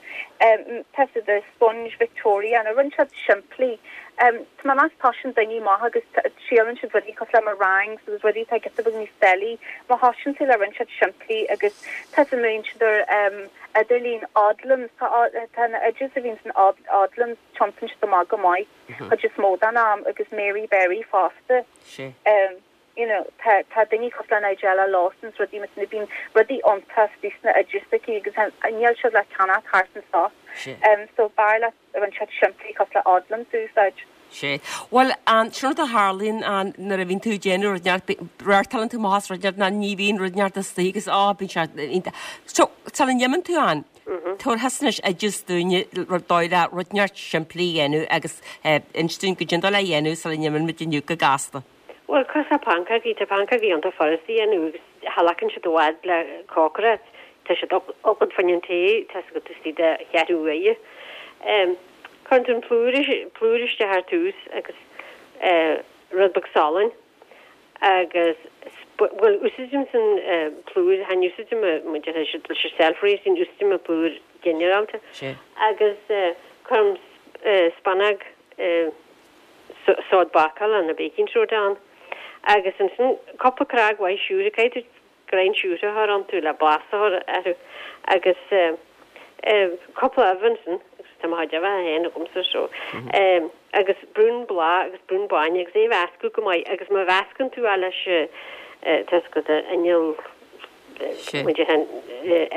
tá siad the sponge Victoria nó rud inteacht simplí. Tá mé ag meas toisíonn daoine amach agus triaileann siad rudaí cosúil le meringues agus rudaí atá giota beag níos doiligh. Má thosaíonn tú le rud inteacht simplí agus tá siad múineann siad ar idirlíon Odlums, tá tá na oideas a bhíonn san Odlums tiontaíonn siad amach go maith chuid is mó den am agus Mary Berry fosta. Sea. you know tá tá daoine cosúil le Nigella Lawson is rudaí mar sin bíonn rudaí iontach istigh sna oideas aici agus níl siad le ceannach thart anso um so b'fhearr leat rud inteacht simplí cosúil le Odlums a úsáid. Sea. Bhuel, an, sin rud a tharlaíonn an, nuair a bhíonn tú ag déanamh rud inteacht, reáchtálann tú amach as rud inteacht ná ní bhíonn rud inteacht istigh agus á, bíonn sé iontach. So, sula n-imíonn tú Ann, tabhair thusa anois oideas dúinne rud dóigh le rud inteacht simplí a dhéanamh agus eh, inis dúinn goidé an dóigh le dhéanamh sula n-imíonn muid inniu go gasta. Bhuel, cosúil le pancógaí, tá pancógaí iontach furasta a dhéanamh agus cha ghlacann siad i bhfad le cócaireacht. Tá siad agat fá choinne an tae, tá 's agat istigh de cheathrú uaire. Cuireann tú an plúr, plúr isteach ar tús agus rud beag salainn agus, bhuel, úsáidimse an plúr, chan úsáidim, mar a deir siad, leis an self-raising, úsáidim an plúr ginearálta agus cuirim spúnóg, sóid bácála nó baking soda ann agus ansin cúpla cnag mhaith siúcra, caithfidh tú greim siúcra a chur iontu le blas a chur orthu agus cúpla ubh ansin agus tá mo chuid uibheacha féin agamsa so agus braon blátha agus braon bainne agus é a mheascadh go maith agus má mheascann tú é leis tá 's agat inneall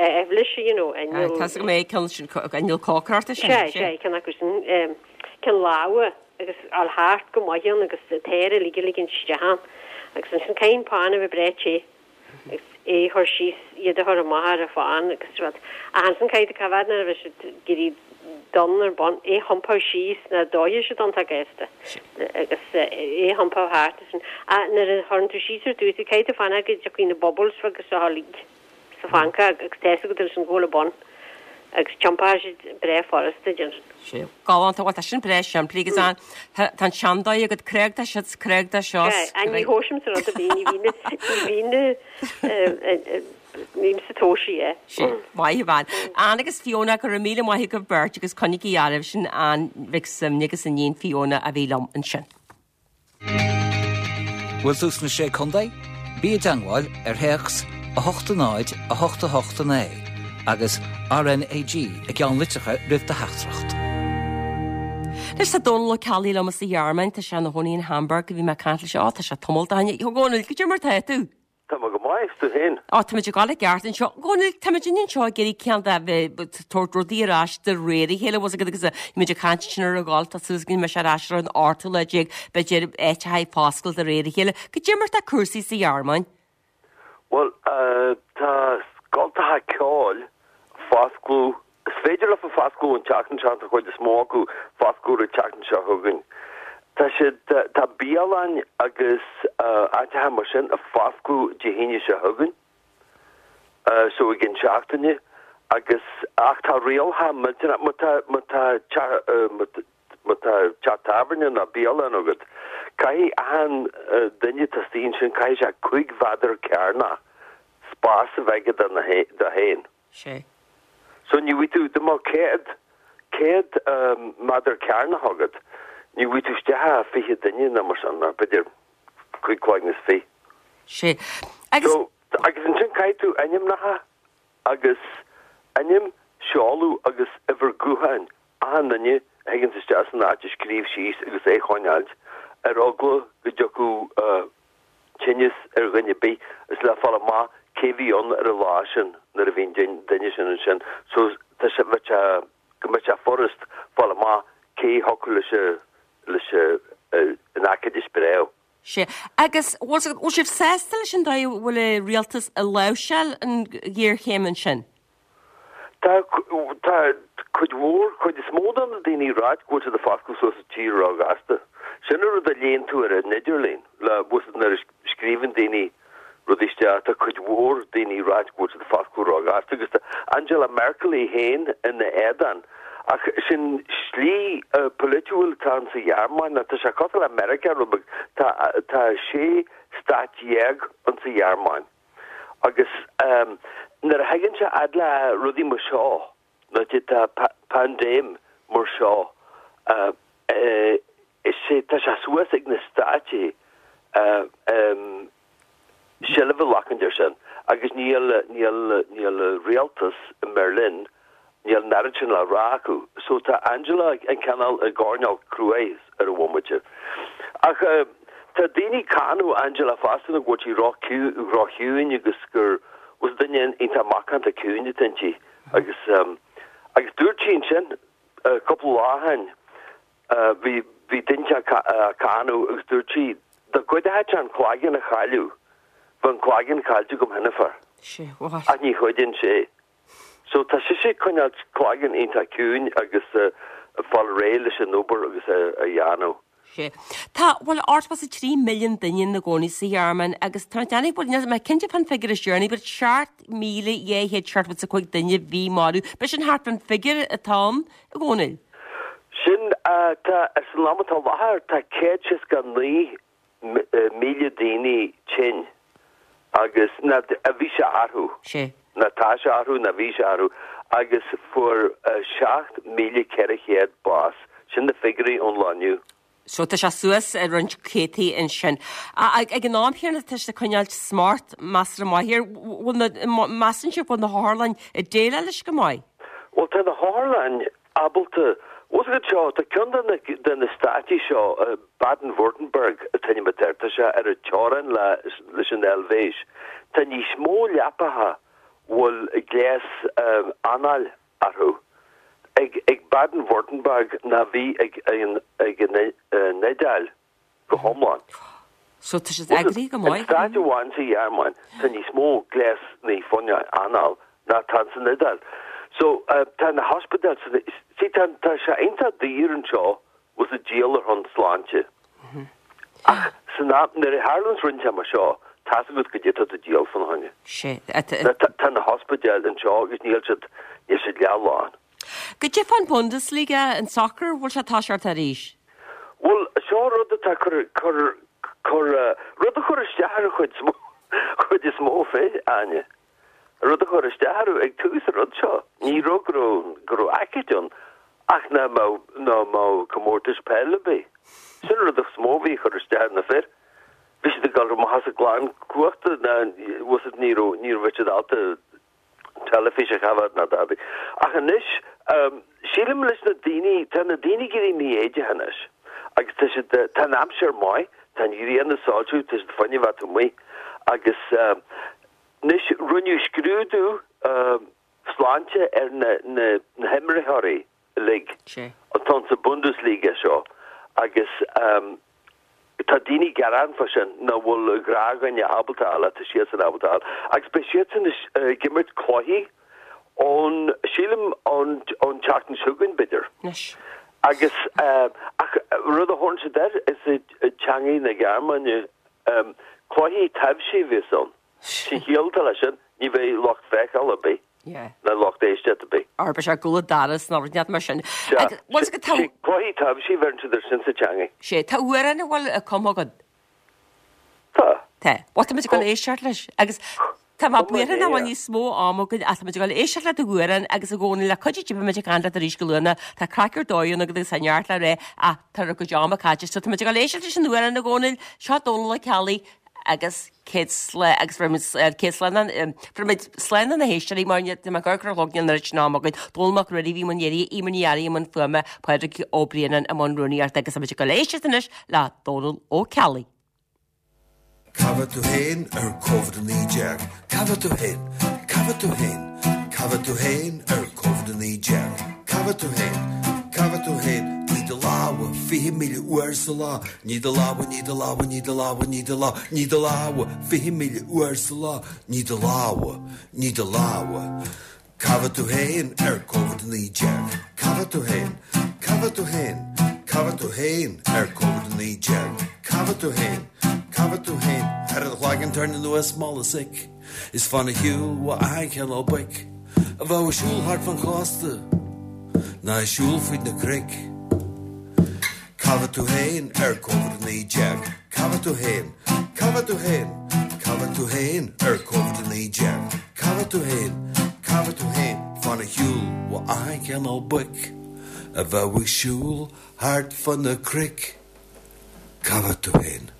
aibhléis you know inneall Tá 's agam é ceann sin inneall cócaireachta sin. Sea, sea, ceann acu sin. Ceann láimhe agus fháil thart go maith ann agus an t-aer uilig a ligint isteach ann. Agus ansin caithfidh an pan a bheith breá te agus é a chur síos, iad a chur amach ar an phan agus rud. Ach ansin caithfidh tú coimhéad nuair a bheidh siad ag éirí donn ar bun, é a thiompú síos nó dófaidh siad iontach gasta agus é a thiompú thart ansin. Ach nuair a chuireann tú síos ar dtús, caithfidh tú fanacht go dtiocfaidh na bubbles beaga seo uilig. sa phancóg agus tá 'fhios agat ansin go bhfuil an bun agus tiompóidh siad breá furasta ansin. Sea, galánta, bhuel tá sin breá simplí agus an, tá an seandóigh agat, cnag de seo 's cnag de seo 's. Sea, ní thomhaisimse rud ar bith, ní bhíonn, ní bhíonn, nímse tomhaisí é. Sea, maith a bhean. Ann agus Fiona, go raibh míle maith agaibh beirt agus coinnígí oraibh sin Ann Mhic Suibhne agus a níon Fiona a bhí liom ansin. Bhfuil tú sna Sé Contae? Bí i dteangmháil ar théacs 8 0 8 8 9 agus RNAG i gceannlitreacha roimh do theachtaireacht. Anois tá Dónal Ó Ceallaigh liom as an Ghearmáin, tá sé ina chónaí in Hamburg, bhí mé ag caint leis, á tá sé tamall ó shin. A Dhónaill, goidé mar tá tú? Tá mé go maith, is tú féin? Á, táimid ag gabháil i gceart anseo. A Dhónaill, táimid anseo ag iarraidh cineál de bheith ag tabhairt rudaí ar ais de réir a chéile, bhfuil 's agat agus muid ag caint ansin ar an gcoill, tá súil againn go mbeidh sé ar ais ar an ochtú lá déag, b'fhéidir áiteacha ag foscailt de réir a chéile. Cad é mar tá cúrsaí sa Ghearmáin? Bhuel, tá scoltacha ceoil ag foscladh Is féidir leofa foscladh an tseachtain seo, tá an chuid is mó acu foscladh an tseachtain seo chugainn. Tá siad, tá bialann agus áiteacha mar sin ag foscladh Dé hAoine seo chugainn, so i gcionn seachtaine, agus, ach tá rialacha millteanach, má tá, má tá teach, má tá teach tábhairne nó bialann agat, caithfidh achan duine atá istigh ansin, caithfidh sé 5 mhéadar cearnach spás a bheith aige dó féin. Sé. So ní bhfaighidh tú, dá mbeadh 100, 100 méadar cearnach agat, ní bhfaighidh tú isteach ach 20 duine nó mar sin, nó b'fhéidir cúig cloigne is fiche. Sé. Agus. So, agus ansin caithfidh tú ainmneacha agus ainm, seoladh agus uimhir gutháin achan duine a thigeanns isteach san áit a scríobh síos agus é a choinneáilt ar eagla go dtiocfadh tinneas ar dhuine ar bith is le fáil amach cé bhí ann ar an lá sin nuair a bhí an duine sin ansin so tá sé bheadh sé go mbeadh sé furast fáil amach cé thiocfadh leis leis an aicíd a spréadh. Sé. Agus bhfuil bhfuil sibh sásta leis an dóigh a bhfuil an rialtas ag láimhseáil an ghéarchéim ansin? Tá, tá cuid mhór, cuid is mó de na daoine ag ráit go bhfuil siad ag foscladh suas an tír róghasta. Sin an rud a léann tú ar an idirlíon, le, bhfuil 's agat nuair a scríobhann daoine rudaí isteach, tá cuid mhór daoine ag ráit go bhfuil siad ag foscladh róghasta agus tá Angela Merkel í féin ina éadán. Ach sin slí polaitiúil atá ann sa Ghearmáin, nó tá sé cosúil le Meiriceá rud beag, tá, tá sé stát dhéag ann sa Ghearmáin. Agus nuair a thagann sé fhad le rudaí mar seo, nó tá paindéim mar seo, is é, tá sé suas ag na stáit seilbh a ghlacaint air sin agus níl, níl, níl rialtas i mBerlin, níl an oiread sin le rá acu. So tá Angela an cineál i gcoirnéal cruaidh ar an bhomaite. Ach tá daoine ag cáineadh Angela fosta nó go bhfuil sí ró-chiúin agus gur bhfuil duine iontach macánta ciúin atá inti. Agus agus dúirt sí ansin cúpla lá ó shin bhí bhí duine ag cáineadh agus dúirt sí dá gcuideodh sé an cloigeann a chailleadh bheadh an cloigeann caillte agam cheana féin. Ach ní chuidíonn sé. So tá sise ag coinneáilt cloigeann iontach ciúin agus ag fáil réidh leis an obair agus a dhéanamh. Sé. Tá, bhuel, 83 milliún duine ina gcónaí sa Ghearmáin agus tá mé ag déanamh, bhuel, níl mé cinnte fán figiúr is deireanaí, but 7,275 duine a bhí marbh. B'é sin thart fán figiúr atá ann, a Dhónaill? Sin, tá, san am atá i láthair, tá 169 1000 daoine tinn agus ná a bhí sé orthu. Sé. Ná tá sé orthu ná bhí sé orthu agus fuair 7,400 bás. Sin na figiúirí ón lá inniu. So tá sé suas roinnt céadtaí ansin. Ag an am chéanna tá sé ag coinneáilt smacht measartha maith air. Bhfuil na, measann sibh bhfuil na hotharlann ag déileáil leis go maith? Bhuel tá na hotharlann ábalta. Bhfuil 's agat seo, tá ceann de na, de na stáití seo, Baden-Württemberg an t-ainm atá air, tá sé ar an teorainn le, leis an Eilvéis. Tá níos mó leapacha bhfuil gléas anáil orthu ag, ag Baden-Württemberg ná bhí ag an, ag an Iodáil. go hiomlán. So tá siad eagraithe go maith. In stáit amháin sa Ghearmáin tá níos mó gléasanna fá choinne anáil ná tá san Iodáil. So tá na hospidéil san, see tá tá sé iontach daor anseo bhfuil 's agat díol ar shon sláinte. Ach san am nuair a tharlaíonns rud inteacht mar seo tá's agat goidé tá tú díol fána choinne. Sé. Tá na hospidéil anseo agus níl siad níl siad leath lán. Goidé fán Bundesliga, an soccer, bhfuil sé ag toiseacht arís? Bhuel, seo rud atá cur, cur, cur, rud a chur isteach ar an chuid is mó, chuid is mó fir, Áine. Rud a chur isteach orthu ag tús an rud seo. Ní raibh go raibh, go raibh aicíd ann ach ná mbeadh, ná mbeadh comórtais peile ar bith. Sin an rud is mó a bhí ag cur isteach ar na fir. Bhí siad ag dul amach as a gclann cumhachta, ná, bhfuil 's agat, ní raibh, ní raibh siad ábalta teilifís a choimhéad ná dadaí. Ach anois, sílim leis na daoine, tá na daoine ag éirí mífhoighdeach anois agus tá siad, tá an aimsir maith, tá an ghrian ag soilsiú, tá siad fá choinne a bheith amuigh. Agus anois rinneadh scrúdú sláinte ar na na himreoirí uilig atá sa Bundesliga seo agus tá daoine ag gearán fá sin nach bhfuil gnáthdhuine ábalta a fháil, tá siadsan ábalta a fháil. Agus beidh siadsan ag imirt cluichí ón, sílim, ón tseachtain seo chugainn, b'fhéidir. Anois. Agus, ach rud a thabharann siad air is i dteangaidh na Gearmáine, cluichí taibhsí a bheas ann. Sin chiall atá leis sin, ní bheidh lucht féachála ar bith, ná lucht éisteachta ar bith. Ar beidh sé ag gabháil doras nó rud inteacht mar sin. Sea, Agus, bhfuil 's agat, tá. Sé cluichí taibhsí a bheireann siad air sin sa teangaidh. Sé, tá amhrán a bhfuil cumtha agat. Tá. Tá. Bhuel, tá muid ag dul éisteacht leis. Agus tá mé buartha nach bhfuil níos mó ama againn ach tá muid ag dul éisteacht le do amhrán agus a Dhónaill le cuidiú Dé beidh muid ag caint leat arís go luath. Tá craic ar dóigh ann agat agus tá neart le rá ach tá ár gcuid ama caite. So tá muid ag dul éisteacht leis an amhrán a Dhónaill. Seo Dónal Ó Ceallaigh agus céad slán agus bheir muid céad slán bheir muid slán do na héisteoirí mar tá mé ag amharc ar an chlog níl an oiread sin ama againn. Dónal Mac Ruairí a bhí i mbun léirithe, Eimear Ní Fhearraigh i mbun fuaime, Pádraig Ó Braonáin i mbun rúnaíochta agus tá muid ag dul éisteacht anois le Dónal Ó Ceallaigh. Cá bhfuil tú féin ar Covid-19? Cá bhfuil tú féin? Cá bhfuil tú féin? Cá bhfuil tú féin ar Covid-19? Cá bhfuil tú féin? Cá bhfuil tú féin? Nigh do lámha 20,000 uair sa lá. Nigh do lámha, nigh do lámha, nigh do lámha, nigh do lámha, nigh do lámha 20,000 uair sa lá. Nigh do lámha, nigh do lámha. Cá bhfuil tú féin ar Covid-19? Cá bhfuil tú féin? Cá bhfuil tú féin? Cá bhfuil tú féin ar Covid-19? Cá bhfuil tú féin? Cá bhfuil tú féin? Cuir do chloigeann tairn anuas mála soic Is fan ar shiúl ó achan chineál boic A bheadh ag siúl thart fan chósta Ná ag siúl fríd na cnoic Cá bhfuil tú féin ar Covid-19? Cá bhfuil tú féin? Cá bhfuil tú féin? Cá bhfuil tú féin ar Covid-19? Cá bhfuil tú féin? Cá bhfuil tú féin? Fan ar shiúl ó achan chineál boic a bheadh ag siúl thart fá na cnoic. Cá bhfuil tú féin?